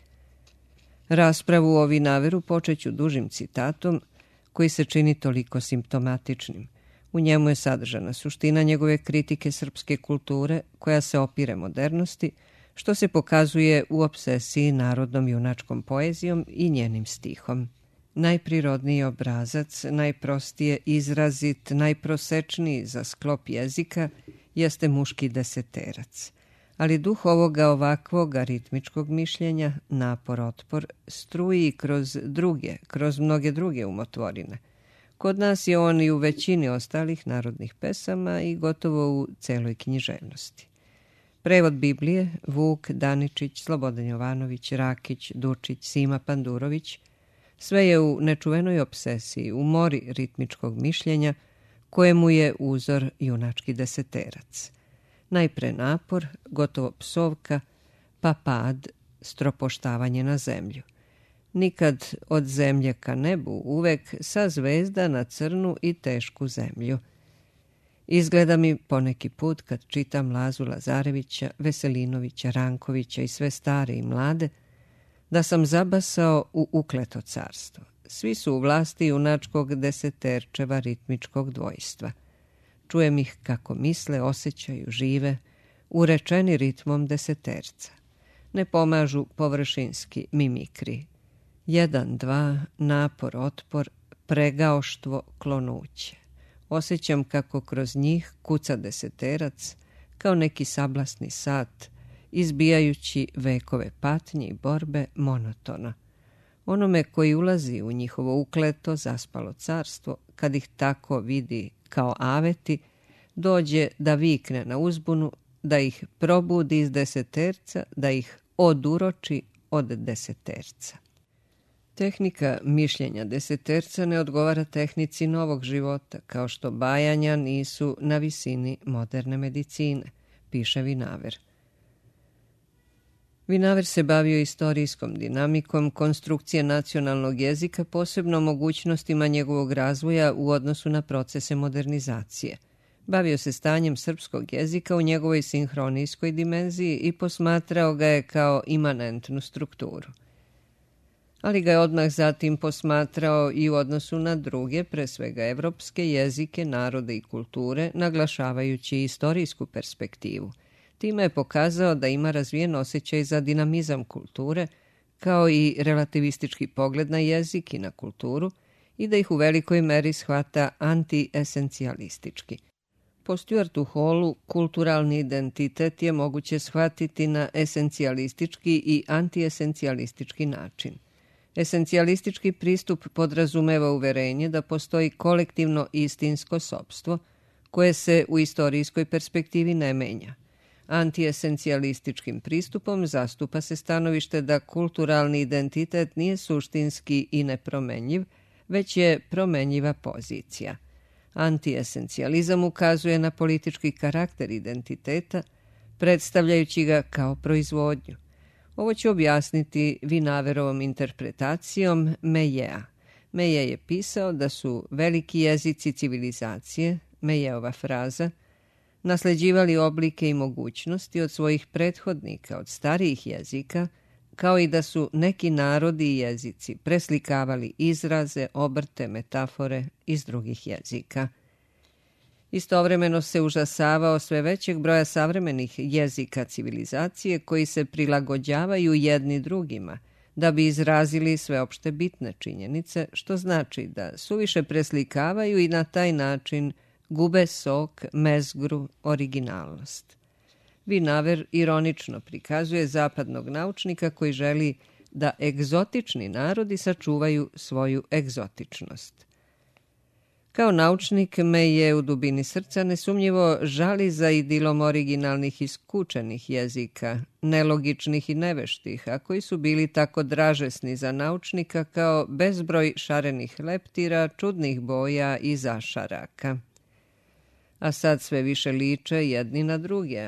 Raspravu o Vinaveru počeću dužim citatom koji se čini toliko simptomatičnim. U njemu je sadržana suština njegove kritike srpske kulture koja se opire modernosti, što se pokazuje u opsesiji narodnom junačkom poezijom i njenim stihom. Najprirodniji obrazac, najprostije izrazit, najprosečniji za sklop jezika jeste muški deseterac. Ali duh ovoga ovakvog aritmičkog mišljenja, napor, otpor, struji kroz mnoge druge umotvorine, Kod nas je on i u većini ostalih narodnih pesama i gotovo u celoj književnosti. Prevod Biblije Vuk Daničić, Slobodan Jovanović, Rakić, Dučić, Sima Pandurović, sve je u nečuvenoj obsesiji, u mori ritmičkog mišljenja, kojemu je uzor junački deseterac. Najpre napor, gotovo psovka, pa pad, stropoštavanje na zemlju. Nikad od zemlje ka nebu, uvek sa zvezda na crnu i tešku zemlju. Izgleda mi poneki put kad čitam Lazu Lazarevića, Veselinovića, Rankovića i sve stare i mlade, da sam zabasao u ukleto carstvo. Svi su u vlasti junačkog deseterčeva ritmičkog dvojstva. Čujem ih kako misle, osjećaju, žive, urečeni ritmom deseterca. Ne pomažu površinski mimikri. 1, 2, napor, otpor, pregaoštvo, klonuće. Osjećam kako kroz njih kuca deseterac, kao neki sablasni sat, izbijajući vekove patnje i borbe monotona. Onome koji ulazi u njihovo ukleto, zaspalo carstvo, kad ih tako vidi kao aveti, dođe da vikne na uzbunu, da ih probudi iz deseterca, da ih oduroči od deseterca. Tehnika mišljenja deseterca ne odgovara tehnici novog života, kao što bajanja nisu na visini moderne medicine, piše Vinaver. Vinaver se bavio istorijskom dinamikom konstrukcije nacionalnog jezika, posebno mogućnostima njegovog razvoja u odnosu na procese modernizacije. Bavio se stanjem srpskog jezika u njegovoj sinhronijskoj dimenziji i posmatrao ga je kao imanentnu strukturu. Ali ga je odmah zatim posmatrao i u odnosu na druge, pre svega evropske jezike, narode i kulture, naglašavajući istorijsku perspektivu. Time je pokazao da ima razvijen osjećaj za dinamizam kulture, kao i relativistički pogled na jezik i na kulturu, i da ih u velikoj meri shvata antiesencijalistički. Po Stuartu Hallu, kulturalni identitet je moguće shvatiti na esencijalistički i antiesencijalistički način. Esencijalistički pristup podrazumeva uverenje da postoji kolektivno istinsko sopstvo, koje se u istorijskoj perspektivi ne menja. Antiesencijalističkim pristupom zastupa se stanovište da kulturalni identitet nije suštinski i nepromenjiv, već je promenjiva pozicija. Antiesencijalizam ukazuje na politički karakter identiteta, predstavljajući ga kao proizvodnju. Ovo ću objasniti Vinaverovom interpretacijom Mejea. Meje je pisao da su veliki jezici civilizacije, Mejeova fraza, nasleđivali oblike i mogućnosti od svojih prethodnika, od starijih jezika, kao i da su neki narodi i jezici preslikavali izraze, obrte, metafore iz drugih jezika. Istovremeno se užasavao sve većeg broja savremenih jezika civilizacije koji se prilagođavaju jedni drugima da bi izrazili sveopšte bitne činjenice, što znači da suviše preslikavaju i na taj način gube sok, mezgru, originalnost. Vinaver ironično prikazuje zapadnog naučnika koji želi da egzotični narodi sačuvaju svoju egzotičnost. Kao naučnik me je u dubini srca nesumnjivo žali za idilom originalnih i skučenih jezika, nelogičnih i neveštih, a koji su bili tako dražesni za naučnika kao bezbroj šarenih leptira, čudnih boja i zašaraka. A sad sve više liče jedni na druge,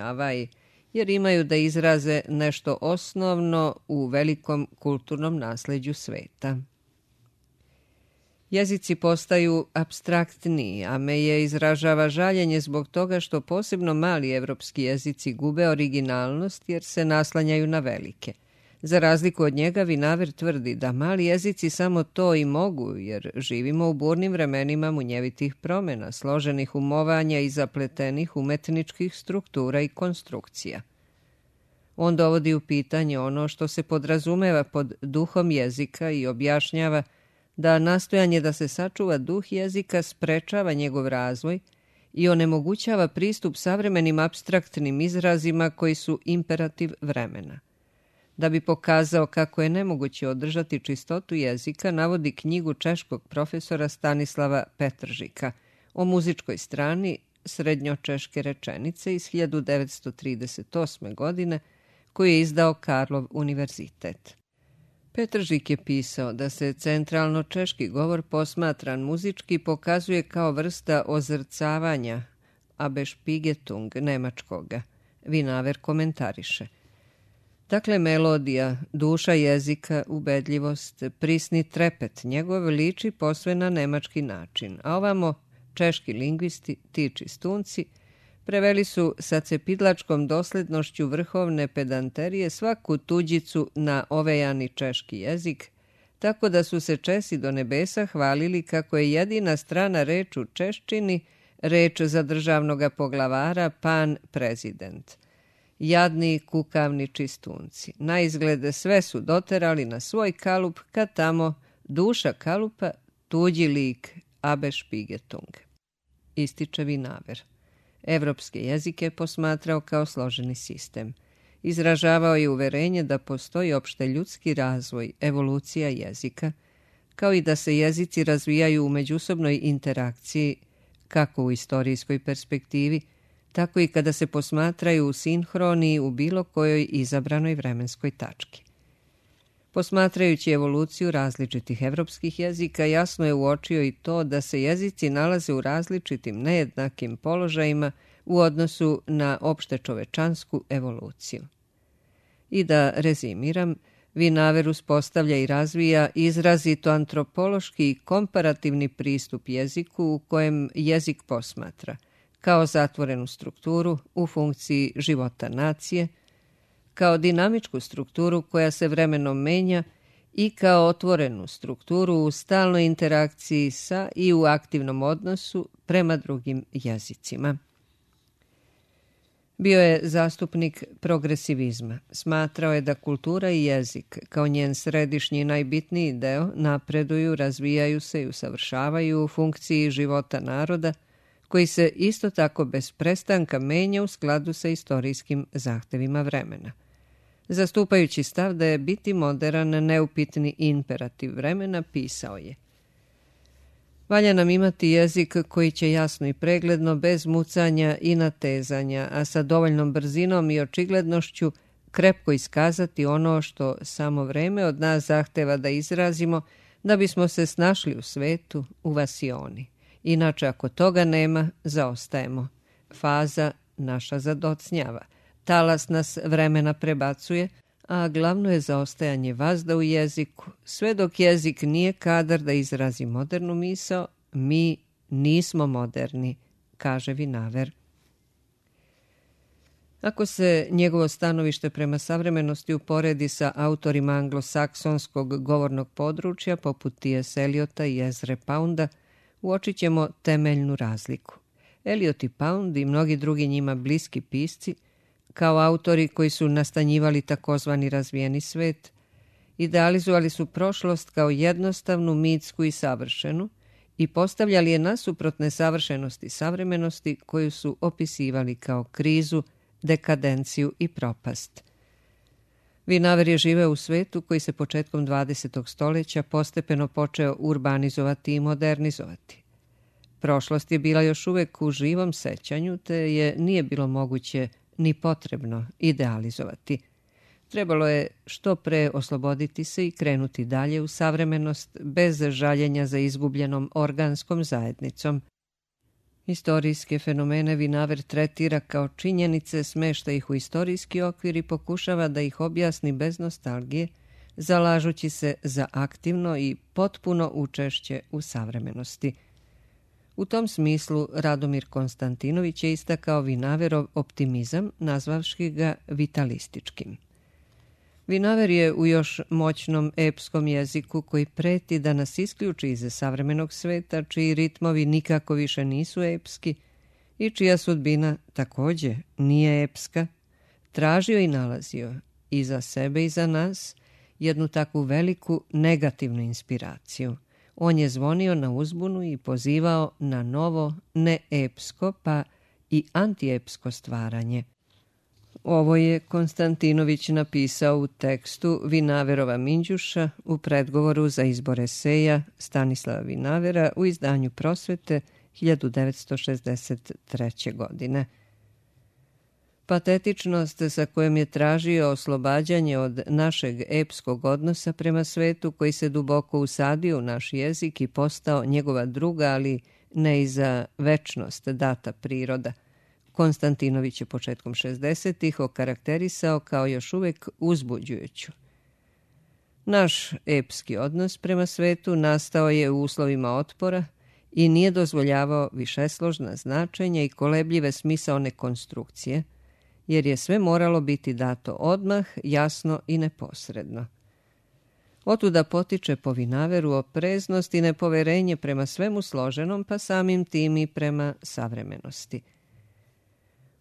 jer imaju da izraze nešto osnovno u velikom kulturnom nasleđu sveta. Jezici postaju apstraktniji, a Meje izražava žaljenje zbog toga što posebno mali evropski jezici gube originalnost jer se naslanjaju na velike. Za razliku od njega, Vinaver tvrdi da mali jezici samo to i mogu, jer živimo u burnim vremenima munjevitih promjena, složenih umovanja i zapletenih umetničkih struktura i konstrukcija. On dovodi u pitanje ono što se podrazumeva pod duhom jezika i objašnjava da nastojanje da se sačuva duh jezika sprečava njegov razvoj i onemogućava pristup savremenim apstraktnim izrazima koji su imperativ vremena. Da bi pokazao kako je nemoguće održati čistotu jezika, navodi knjigu češkog profesora Stanislava Petržika o muzičkoj strani srednjočeške rečenice iz 1938. godine, koju je izdao Karlov univerzitet. Petržik je pisao da se centralno češki govor posmatran muzički pokazuje kao vrsta ozrcavanja Abespiegetung nemačkoga. Vinaver komentariše. Dakle, melodija, duša jezika, ubedljivost, prisni trepet njegov liči posve na nemački način, a ovamo češki lingvisti, ti čistunci, preveli su sa cepidlačkom doslednošću vrhovne pedanterije svaku tuđicu na ovejani češki jezik, tako da su se Česi do nebesa hvalili kako je jedina strana reč u češčini reč za državnoga poglavara pan prezident. Jadni kukavni čistunci. Na izglede sve su doterali na svoj kalup, kad tamo duša kalupa tuđi lik Abespiegetung. Ističe Vinaver. Evropske jezike posmatrao kao složeni sistem. Izražavao je uverenje da postoji opšte ljudski razvoj, evolucija jezika, kao i da se jezici razvijaju u međusobnoj interakciji, kako u istorijskoj perspektivi, tako i kada se posmatraju u sinhroniji u bilo kojoj izabranoj vremenskoj tački. Posmatrajući evoluciju različitih evropskih jezika, jasno je uočio i to da se jezici nalaze u različitim nejednakim položajima u odnosu na opšte čovečansku evoluciju. I da rezimiram, Vinaver uspostavlja i razvija izrazito antropološki i komparativni pristup jeziku u kojem jezik posmatra, kao zatvorenu strukturu u funkciji života nacije, kao dinamičku strukturu koja se vremenom menja i kao otvorenu strukturu u stalnoj interakciji sa i u aktivnom odnosu prema drugim jezicima. Bio je zastupnik progresivizma. Smatrao je da kultura i jezik, kao njen središnji i najbitniji deo, napreduju, razvijaju se i usavršavaju u funkciji života naroda, koji se isto tako bez prestanka menja u skladu sa istorijskim zahtevima vremena. Zastupajući stav da je biti moderan neupitni imperativ vremena, pisao je: valja nam imati jezik koji će jasno i pregledno, bez mucanja i natezanja, a sa dovoljnom brzinom i očiglednošću krepko iskazati ono što samo vreme od nas zahteva da izrazimo, da bismo se snašli u svetu, u vasioni. Inače, ako toga nema, zaostajemo. Faza naša zadocnjava. Talas nas vremena prebacuje, a glavno je zaostajanje vazda u jeziku. Sve dok jezik nije kadar da izrazi modernu misao, mi nismo moderni, kaže Vinaver. Ako se njegovo stanovište prema savremenosti uporedi sa autorima anglosaksonskog govornog područja, poput T.S. Eliota i Ezre Pounda, uočit ćemo temeljnu razliku. Eliot i Pound i mnogi drugi njima bliski pisci, kao autori koji su nastanjivali takozvani razvijeni svet, idealizovali su prošlost kao jednostavnu, mitsku i savršenu i postavljali je nasuprot nesavršenosti savremenosti koju su opisivali kao krizu, dekadenciju i propast. Vinaver je živeo u svetu koji se početkom 20. stoljeća postepeno počeo urbanizovati i modernizovati. Prošlost je bila još uvek u živom sećanju, te je nije bilo moguće ni potrebno idealizovati. Trebalo je što pre osloboditi se i krenuti dalje u savremenost bez žaljenja za izgubljenom organskom zajednicom. Istorijske fenomene Vinaver tretira kao činjenice, smešta ih u istorijski okvir i pokušava da ih objasni bez nostalgije, zalažući se za aktivno i potpuno učešće u savremenosti. U tom smislu Radomir Konstantinović je istakao Vinaverov optimizam, nazvavši ga vitalističkim. Vinaver je u još moćnom epskom jeziku koji preti da nas isključi iz savremenog sveta, čiji ritmovi nikako više nisu epski i čija sudbina takođe nije epska, tražio i nalazio i za sebe i za nas jednu takvu veliku negativnu inspiraciju. On je zvonio na uzbunu i pozivao na novo neepsko pa i antiepsko stvaranje. Ovo je Konstantinović napisao u tekstu Vinaverova Minđuša u predgovoru za izbor eseja Stanislava Vinavera u izdanju Prosvete 1963. godine. Patetičnost sa kojom je tražio oslobađanje od našeg epskog odnosa prema svetu koji se duboko usadio u naš jezik i postao njegova druga, ali ne i za večnost data priroda, Konstantinović je početkom 60-ih okarakterisao kao još uvijek uzbuđujuću. Naš epski odnos prema svetu nastao je u uslovima otpora i nije dozvoljavao višesložna značenja i kolebljive smisaone konstrukcije, jer je sve moralo biti dato odmah, jasno i neposredno. Otuda potiče po Vinaveru opreznost i nepoverenje prema svemu složenom, pa samim tim i prema savremenosti.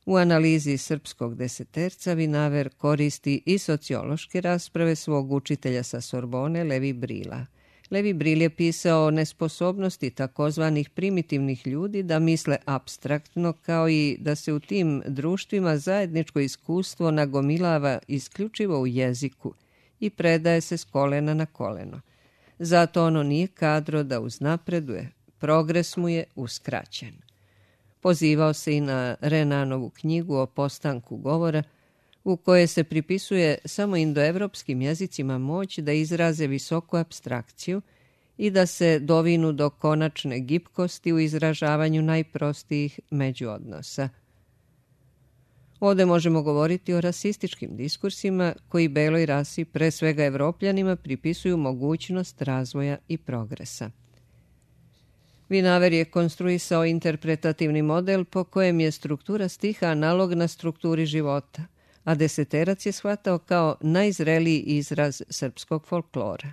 U analizi srpskog deseterca Vinaver koristi i sociološke rasprave svog učitelja sa Sorbone Levi Brila. Levi Bril je pisao o nesposobnosti takozvanih primitivnih ljudi da misle apstraktno, kao i da se u tim društvima zajedničko iskustvo nagomilava isključivo u jeziku i predaje se s kolena na koleno. Zato ono nije kadro da uznapreduje, progres mu je uskraćen. Pozivao se i na Renanovu knjigu o postanku govora, u kojoj se pripisuje samo indoevropskim jezicima moć da izraze visoku apstrakciju i da se dovinu do konačne gibkosti u izražavanju najprostijih međuodnosa. Ovdje možemo govoriti o rasističkim diskursima koji beloj rasi, pre svega Evropljanima, pripisuju mogućnost razvoja i progresa. Vinaver je konstruisao interpretativni model po kojem je struktura stiha analogna strukturi života, a deseterac je shvatao kao najzreliji izraz srpskog folklora.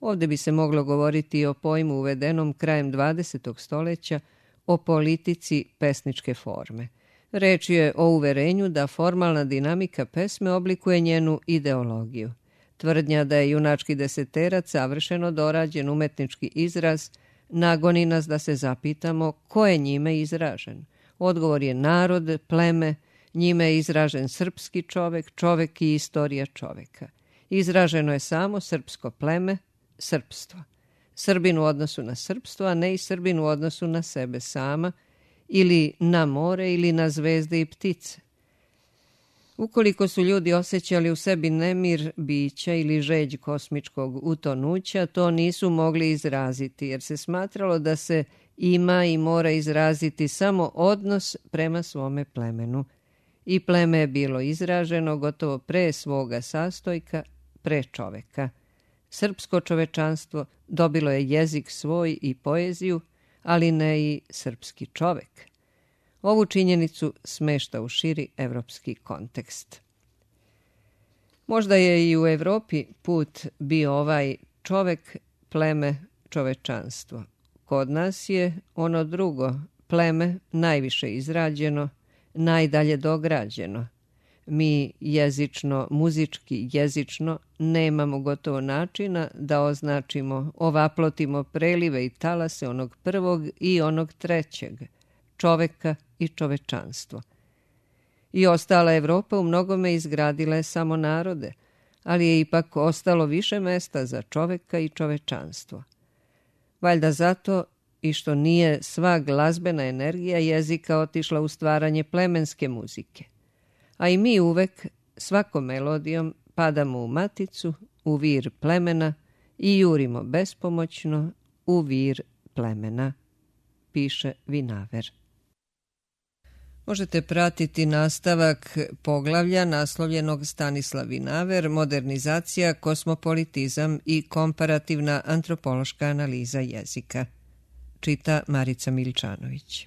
Ovdje bi se moglo govoriti o pojmu uvedenom krajem 20. stoljeća o politici pesničke forme. Reč je o uverenju da formalna dinamika pesme oblikuje njenu ideologiju. Tvrdnja da je junački deseterac savršeno dorađen umetnički izraz nagoni nas da se zapitamo ko je njime izražen. Odgovor je narod, pleme, njime je izražen srpski čovek, čovek i istorija čoveka. Izraženo je samo srpsko pleme, srpstvo. Srbin u odnosu na srpstvo, a ne i Srbin u odnosu na sebe sama, ili na more, ili na zvezde i ptice. Ukoliko su ljudi osjećali u sebi nemir bića ili žeđ kosmičkog utonuća, to nisu mogli izraziti, jer se smatralo da se ima i mora izraziti samo odnos prema svome plemenu. I pleme je bilo izraženo gotovo pre svoga sastojka, pre čoveka. Srpsko čovečanstvo dobilo je jezik svoj i poeziju, ali ne i srpski čovek. Ovu činjenicu smešta u širi evropski kontekst. Možda je i u Evropi put bio ovaj čovek, pleme, čovečanstvo. Kod nas je ono drugo, pleme, najviše izrađeno, najdalje dograđeno. Mi jezično, muzički, jezično nemamo gotovo načina da označimo, ovaplotimo prelive i talase onog prvog i onog trećeg, čoveka i čovečanstvo. I ostala Evropa u mnogome izgradila je samo narode, ali je ipak ostalo više mesta za čoveka i čovečanstvo. Valjda zato i što nije sva glazbena energija jezika otišla u stvaranje plemenske muzike. A i mi uvek, svakom melodijom, padamo u maticu, u vir plemena i jurimo bespomoćno u vir plemena, piše Vinaver. Možete pratiti nastavak poglavlja naslovljenog Stanislav Vinaver, modernizacija, kosmopolitizam i komparativna antropološka analiza jezika. Čita Marica Miličanović.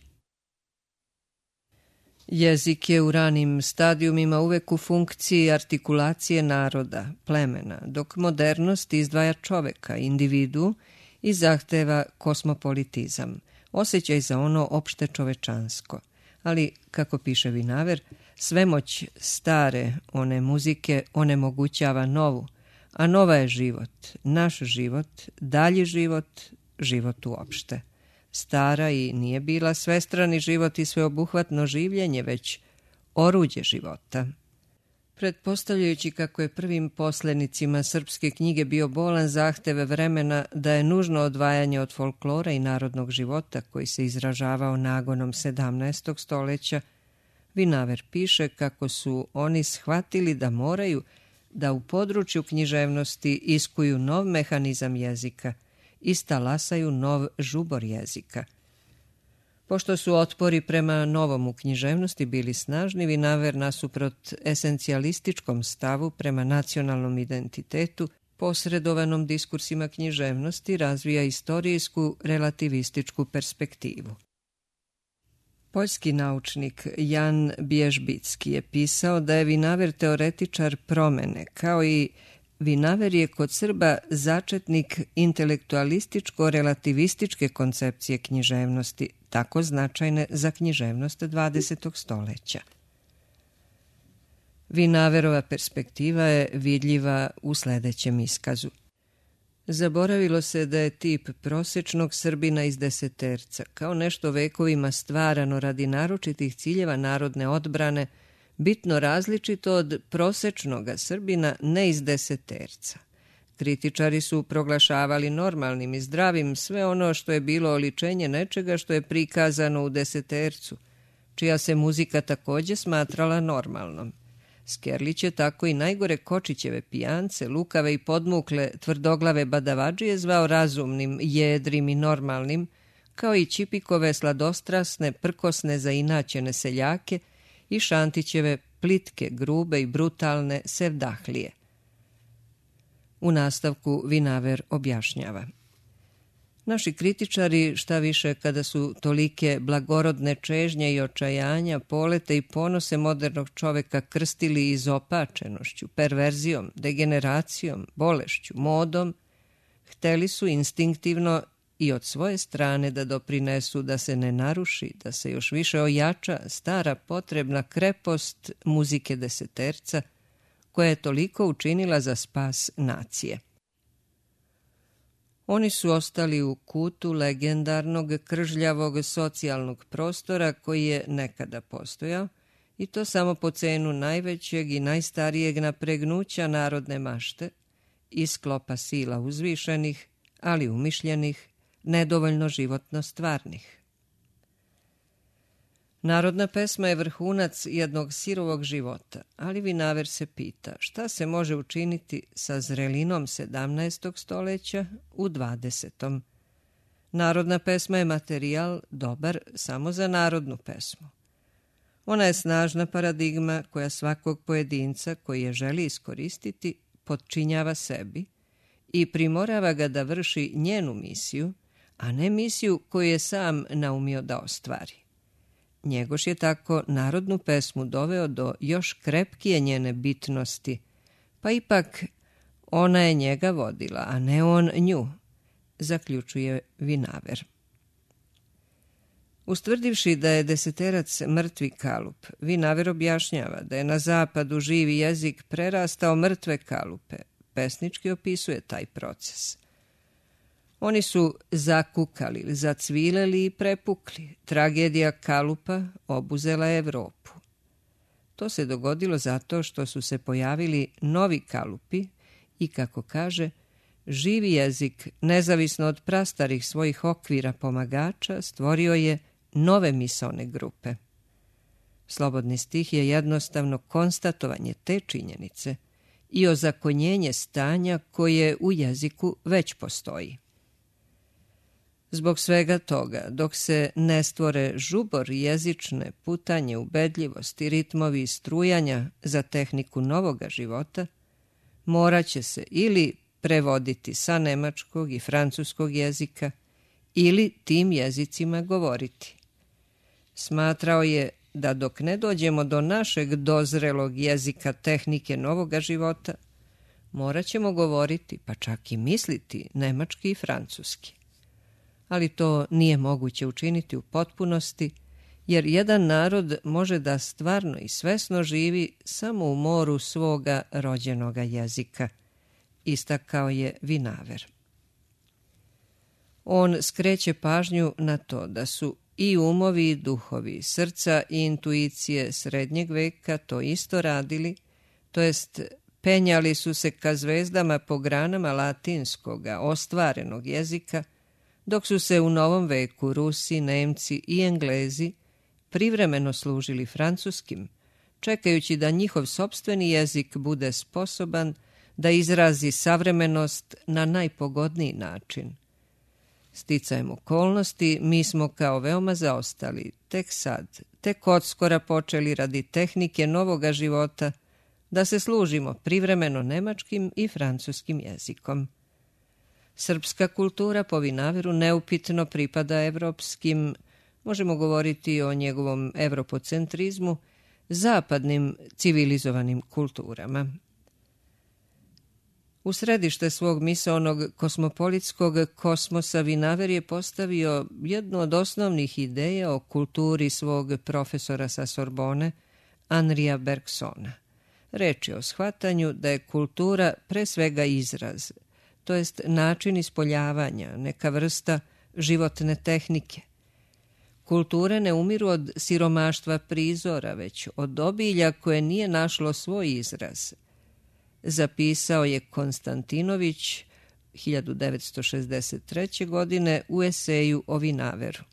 Jezik je u ranim stadijumima uvek u funkciji artikulacije naroda, plemena, dok modernost izdvaja čoveka, individu i zahteva kosmopolitizam, osjećaj za ono opšte čovečansko. Ali, kako piše Vinaver, svemoć stare one muzike onemogućava novu, a nova je život, naš život, dalji život, život uopšte. Stara i nije bila svestrani život i sveobuhvatno življenje, već oruđe života. Pretpostavljajući kako je prvim poslenicima srpske knjige bio bolan zahteve vremena da je nužno odvajanje od folklora i narodnog života koji se izražavao nagonom 17. stoljeća, Vinaver piše kako su oni shvatili da moraju da u području književnosti iskuju nov mehanizam jezika i stalasaju nov žubor jezika. Pošto su otpori prema novom u književnosti bili snažni, Vinaver nasuprot esencijalističkom stavu prema nacionalnom identitetu, posredovanom diskursima književnosti, razvija istorijsku relativističku perspektivu. Poljski naučnik Jan Bježbicki je pisao da je Vinaver teoretičar promene, kao i Vinaver je kod Srba začetnik intelektualističko-relativističke koncepcije književnosti, tako značajne za književnost 20. stoljeća. Vinaverova perspektiva je vidljiva u sljedećem iskazu. Zaboravilo se da je tip prosječnog Srbina iz deseterca, kao nešto vekovima stvarano radi naročitih ciljeva narodne odbrane, bitno različito od prosječnog Srbina ne iz deseterca. Kritičari su proglašavali normalnim i zdravim sve ono što je bilo oličenje nečega što je prikazano u desetercu, čija se muzika također smatrala normalnom. Skerlić je tako i najgore Kočićeve pijance, lukave i podmukle tvrdoglave badavadžije zvao razumnim, jedrim i normalnim, kao i Čipikove sladostrasne, prkosne, zainaćene seljake i Šantićeve plitke, grube i brutalne sevdahlije. U nastavku Vinaver objašnjava. Naši kritičari, šta više kada su tolike blagorodne čežnje i očajanja, polete i ponose modernog čoveka krstili izopačenošću, perverzijom, degeneracijom, bolešću, modom, hteli su instinktivno i od svoje strane da doprinesu da se ne naruši, da se još više ojača stara potrebna krepost muzike deseterca, koja je toliko učinila za spas nacije. Oni su ostali u kutu legendarnog kržljavog socijalnog prostora koji je nekada postojao, i to samo po cenu najvećeg i najstarijeg napregnuća narodne mašte i sklopa sila uzvišenih, ali umišljenih, nedovoljno životno stvarnih. Narodna pesma je vrhunac jednog sirovog života, ali Vinaver se pita šta se može učiniti sa zrelinom 17. stoljeća u 20. Narodna pesma je materijal dobar samo za narodnu pesmu. Ona je snažna paradigma koja svakog pojedinca koji je želi iskoristiti potčinjava sebi i primorava ga da vrši njenu misiju, a ne misiju koju je sam naumio da ostvari. Njegoš je tako narodnu pesmu doveo do još krepkije njene bitnosti, pa ipak ona je njega vodila, a ne on nju, zaključuje Vinaver. Ustvrdivši da je deseterac mrtvi kalup, Vinaver objašnjava da je na zapadu živi jezik prerastao mrtve kalupe. Pesnički opisuje taj proces. Oni su zakukali, zacvileli i prepukli. Tragedija kalupa obuzela Evropu. To se dogodilo zato što su se pojavili novi kalupi i, kako kaže, živi jezik, nezavisno od prastarih svojih okvira pomagača, stvorio je nove misaone grupe. Slobodni stih je jednostavno konstatovanje te činjenice i ozakonjenje stanja koje u jeziku već postoji. Zbog svega toga, dok se ne stvore žubor jezične, putanje, ubedljivosti, ritmovi i strujanja za tehniku novoga života, morat će se ili prevoditi sa nemačkog i francuskog jezika ili tim jezicima govoriti. Smatrao je da dok ne dođemo do našeg dozrelog jezika tehnike novoga života, morat ćemo govoriti, pa čak i misliti, nemački i francuski. Ali to nije moguće učiniti u potpunosti, jer jedan narod može da stvarno i svesno živi samo u moru svoga rođenoga jezika, istakao je Vinaver. On skreće pažnju na to da su i umovi i duhovi, srca i intuicije srednjeg veka to isto radili, to jest penjali su se ka zvezdama po granama latinskoga, ostvarenog jezika, dok su se u novom veku Rusi, Nemci i Englezi privremeno služili francuskim, čekajući da njihov sopstveni jezik bude sposoban da izrazi savremenost na najpogodniji način. Sticajem okolnosti, mi smo kao veoma zaostali, tek odskora počeli radi tehnike novoga života da se služimo privremeno nemačkim i francuskim jezikom. Srpska kultura po Vinaveru neupitno pripada evropskim, možemo govoriti o njegovom evropocentrizmu, zapadnim civilizovanim kulturama. U središte svog misaonog kosmopolitskog kosmosa Vinaver je postavio jednu od osnovnih ideja o kulturi svog profesora sa Sorbone, Henria Bergsona. Reč je o shvatanju da je kultura pre svega izraz, to jest način ispoljavanja, neka vrsta životne tehnike. Kulture ne umiru od siromaštva prizora, već od obilja koje nije našlo svoj izraz. Zapisao je Konstantinović 1963. godine u eseju o Vinaveru.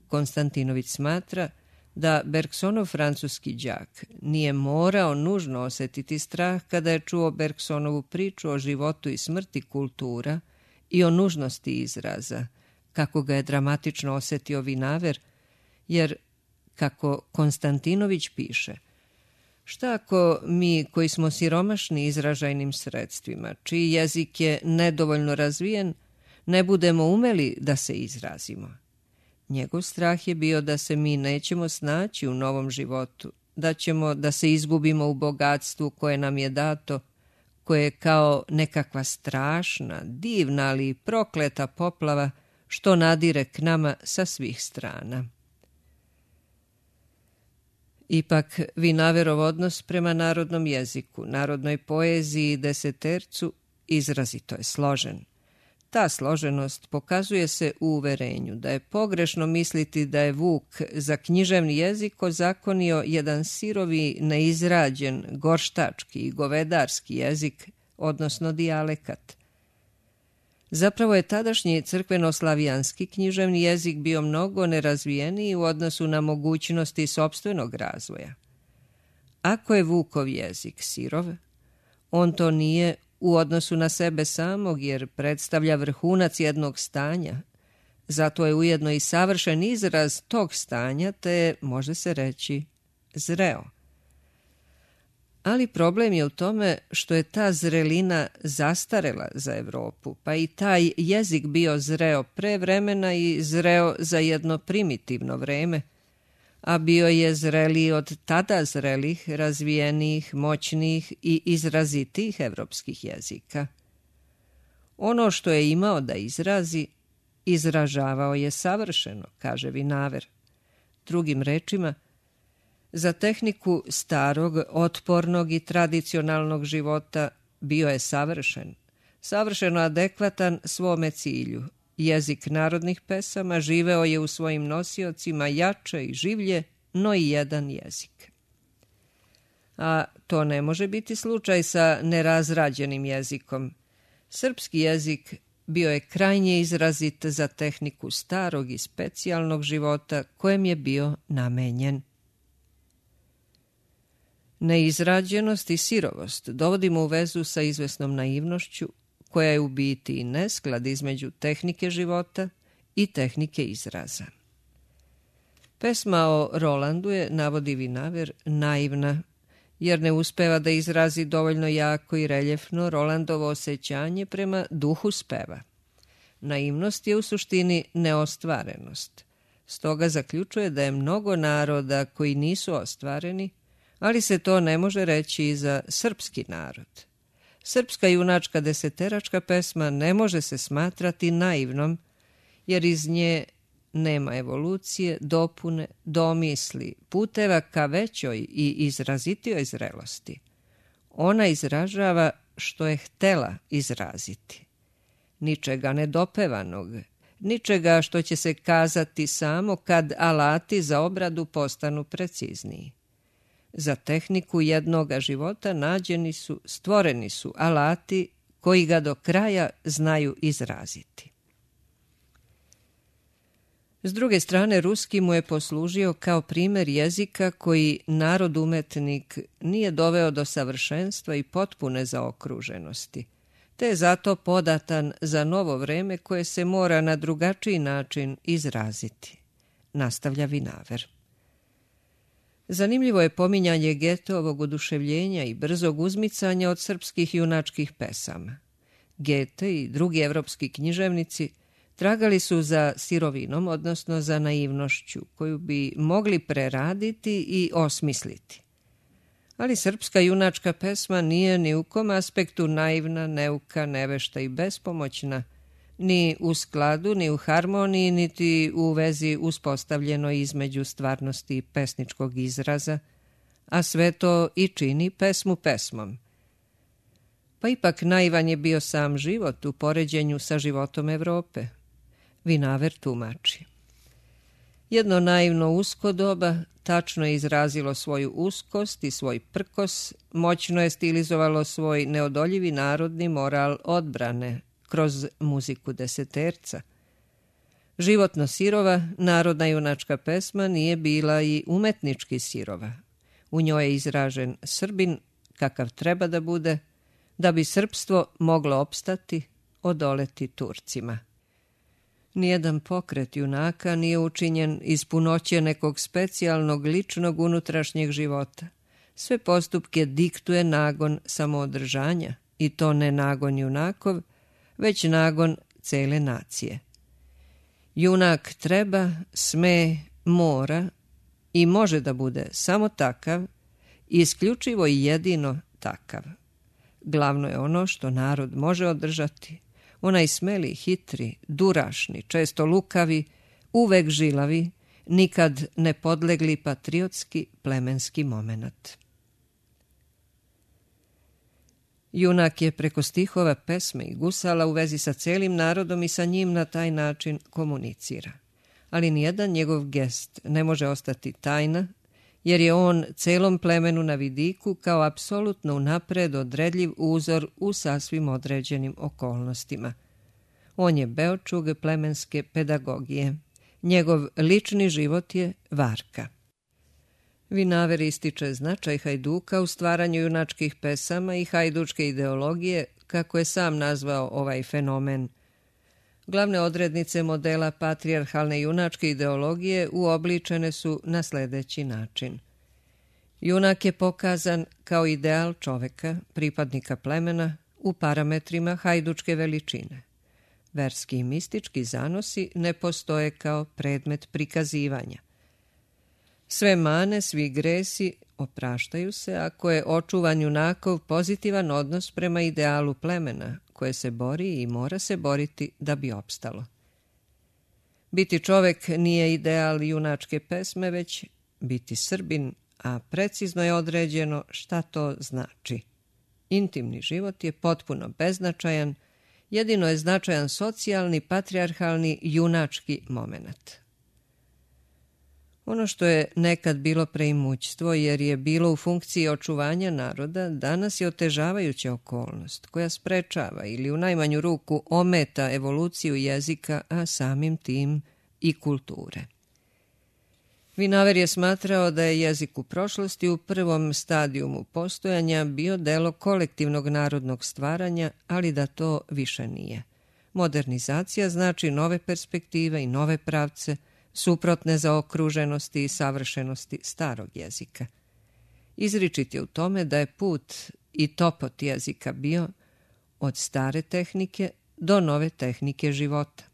Konstantinović smatra da Bergsonov francuski đak nije morao nužno osetiti strah kada je čuo Bergsonovu priču o životu i smrti kultura i o nužnosti izraza, kako ga je dramatično osetio Vinaver, jer, kako Konstantinović piše, šta ako mi koji smo siromašni izražajnim sredstvima, čiji jezik je nedovoljno razvijen, ne budemo umeli da se izrazimo? Njegov strah je bio da se mi nećemo snaći u novom životu, da ćemo da se izgubimo u bogatstvu koje nam je dato, koje je kao nekakva strašna, divna, ali prokleta poplava što nadire k nama sa svih strana. Ipak, Vinaverov odnos prema narodnom jeziku, narodnoj poeziji i desetercu izrazito je složen. Ta složenost pokazuje se u uverenju da je pogrešno misliti da je Vuk za književni jezik ozakonio jedan sirovi, neizrađen, gorštački i govedarski jezik, odnosno dijalekat. Zapravo je tadašnji crkveno-slavijanski književni jezik bio mnogo nerazvijeniji u odnosu na mogućnosti sopstvenog razvoja. Ako je Vukov jezik sirov, on to nije u odnosu na sebe samog, jer predstavlja vrhunac jednog stanja. Zato je ujedno i savršen izraz tog stanja, te može se reći zreo. Ali problem je u tome što je ta zrelina zastarela za Evropu, pa i taj jezik bio zreo pre vremena i zreo za jedno primitivno vreme, a bio je zreliji od tada zrelih, razvijenijih, moćnijih i izrazitijih evropskih jezika. Ono što je imao da izrazi, izražavao je savršeno, kaže Vinaver. Drugim rečima, za tehniku starog, otpornog i tradicionalnog života bio je savršeno adekvatan svome cilju. Jezik narodnih pesama živeo je u svojim nosiocima jače i življe, no i jedan jezik. A to ne može biti slučaj sa nerazrađenim jezikom. Srpski jezik bio je krajnje izrazit za tehniku starog i specijalnog života kojem je bio namenjen. Neizrađenost i sirovost dovodimo u vezu sa izvesnom naivnošću, koja je u biti i nesklad između tehnike života i tehnike izraza. Pesma o Rolandu je, navodi Vinaver, naivna, jer ne uspeva da izrazi dovoljno jako i reljefno Rolandovo osjećanje prema duhu speva. Naivnost je u suštini neostvarenost. Stoga zaključuje da je mnogo naroda koji nisu ostvareni, ali se to ne može reći i za srpski narod. Srpska junačka deseteračka pesma ne može se smatrati naivnom, jer iz nje nema evolucije, dopune, domisli, puteva ka većoj i izrazitijoj zrelosti. Ona izražava što je htela izraziti. Ničega nedopevanog, ničega što će se kazati samo kad alati za obradu postanu precizniji. Za tehniku jednoga života stvoreni su alati koji ga do kraja znaju izraziti. S druge strane, ruski mu je poslužio kao primjer jezika koji narod-umetnik nije doveo do savršenstva i potpune zaokruženosti, te je zato podatan za novo vreme koje se mora na drugačiji način izraziti, nastavlja Vinaver. Zanimljivo je pominjanje Goetheovog oduševljenja i brzog uzmicanja od srpskih junačkih pesama. Goethe i drugi evropski književnici tragali su za sirovinom, odnosno za naivnošću, koju bi mogli preraditi i osmisliti. Ali srpska junačka pesma nije ni u kom aspektu naivna, neuka, nevešta i bespomoćna, ni u skladu, ni u harmoniji, niti u vezi uspostavljeno između stvarnosti i pesničkog izraza, a sve to i čini pesmu pesmom. Pa ipak naivan je bio sam život u poređenju sa životom Evrope. Vinaver tumači. Jedno naivno usko doba tačno je izrazilo svoju uskost i svoj prkos, moćno je stilizovalo svoj neodoljivi narodni moral odbrane kroz muziku deseterca. Životno sirova, narodna junačka pesma nije bila i umetnički sirova. U njoj je izražen Srbin kakav treba da bude, da bi srpstvo moglo opstati, odoleti Turcima. Nijedan pokret junaka nije učinjen iz punoće nekog specijalnog ličnog unutrašnjeg života. Sve postupke diktuje nagon samoodržanja, i to ne nagon junakov, već nagon cele nacije. Junak treba, sme, mora i može da bude samo takav, isključivo i jedino takav. Glavno je ono što narod može održati, onaj smeli, hitri, durašni, često lukavi, uvek žilavi, nikad ne podlegli patriotski plemenski momenat. Junak je preko stihova, pesme i gusala u vezi sa celim narodom i sa njim na taj način komunicira. Ali nijedan njegov gest ne može ostati tajna, jer je on celom plemenu na vidiku kao apsolutno unapred odredljiv uzor u sasvim određenim okolnostima. On je beočug plemenske pedagogije. Njegov lični život je varka. Vinaver ističe značaj Hajduka u stvaranju junačkih pesama i hajdučke ideologije, kako je sam nazvao ovaj fenomen. Glavne odrednice modela patrijarhalne junačke ideologije uobličene su na sljedeći način. Junak je pokazan kao ideal čoveka, pripadnika plemena, u parametrima hajdučke veličine. Verski i mistički zanosi ne postoje kao predmet prikazivanja. Sve mane, svi gresi opraštaju se ako je očuvan junakov pozitivan odnos prema idealu plemena, koje se bori i mora se boriti da bi opstalo. Biti čovek nije ideal junačke pesme, već biti Srbin, a precizno je određeno šta to znači. Intimni život je potpuno beznačajan, jedino je značajan socijalni, patrijarhalni, junački momenat. Ono što je nekad bilo preimućstvo jer je bilo u funkciji očuvanja naroda, danas je otežavajuća okolnost koja sprečava ili u najmanju ruku ometa evoluciju jezika, a samim tim i kulture. Vinaver je smatrao da je jezik u prošlosti u prvom stadijumu postojanja bio delo kolektivnog narodnog stvaranja, ali da to više nije. Modernizacija znači nove perspektive i nove pravce, suprotne zaokruženosti i savršenosti starog jezika. Izričit je u tome da je put i topot jezika bio od stare tehnike do nove tehnike života.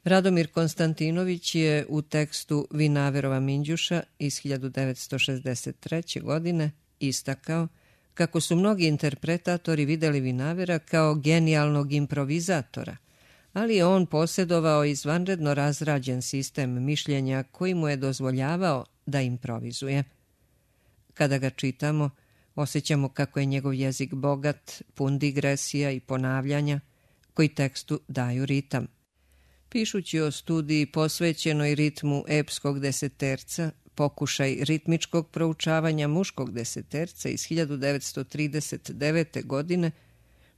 Radomir Konstantinović je u tekstu Vinaverova Minđuša iz 1963. godine istakao kako su mnogi interpretatori videli Vinavera kao genijalnog improvizatora, ali je on posjedovao izvanredno razrađen sistem mišljenja koji mu je dozvoljavao da improvizuje. Kada ga čitamo, osjećamo kako je njegov jezik bogat, pun digresija i ponavljanja, koji tekstu daju ritam. Pišući o studiji posvećenoj ritmu epskog deseterca, pokušaj ritmičkog proučavanja muškog deseterca iz 1939. godine,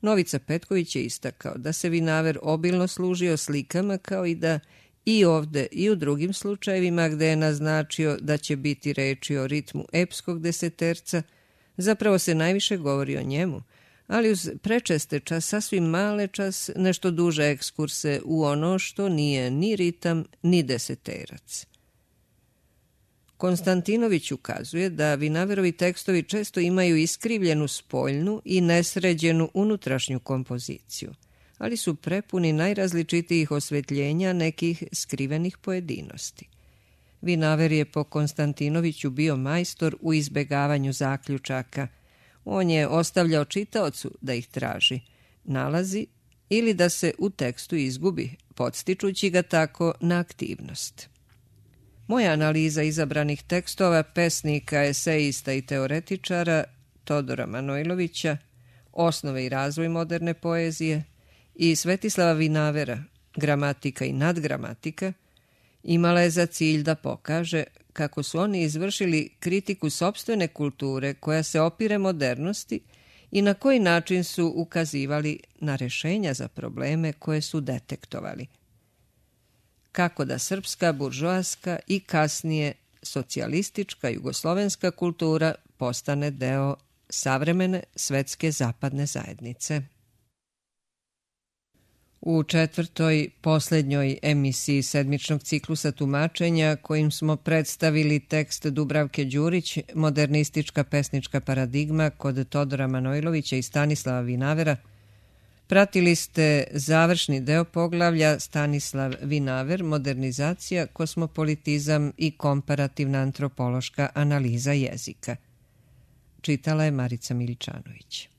Novica Petković je istakao da se Vinaver obilno služio slikama, kao i da i ovde i u drugim slučajevima gde je naznačio da će biti reči o ritmu epskog deseterca, zapravo se najviše govori o njemu, ali uz prečeste sasvim male nešto duže ekskurse u ono što nije ni ritam ni deseterac. Konstantinović ukazuje da Vinaverovi tekstovi često imaju iskrivljenu spoljnu i nesređenu unutrašnju kompoziciju, ali su prepuni najrazličitijih osvetljenja nekih skrivenih pojedinosti. Vinaver je po Konstantinoviću bio majstor u izbegavanju zaključaka. On je ostavljao čitaocu da ih traži, nalazi ili da se u tekstu izgubi, podstičući ga tako na aktivnost. Moja analiza izabranih tekstova pesnika, esejista i teoretičara Todora Manojlovića, Osnove i razvoj moderne poezije, i Svetislava Vinavera, Gramatika i nadgramatika, imala je za cilj da pokaže kako su oni izvršili kritiku sopstvene kulture koja se opire modernosti i na koji način su ukazivali na rešenja za probleme koje su detektovali. Kako da srpska, buržoaska i kasnije socijalistička jugoslovenska kultura postane deo savremene svetske zapadne zajednice. U četvrtoj, poslednjoj emisiji sedmičnog ciklusa tumačenja, kojim smo predstavili tekst Dubravke Đurić, Modernistička pesnička paradigma kod Todora Manojlovića i Stanislava Vinavera, pratili ste završni deo poglavlja Stanislav Vinaver, modernizacija, kosmopolitizam i komparativna antropološka analiza jezika. Čitala je Marica Miličanović.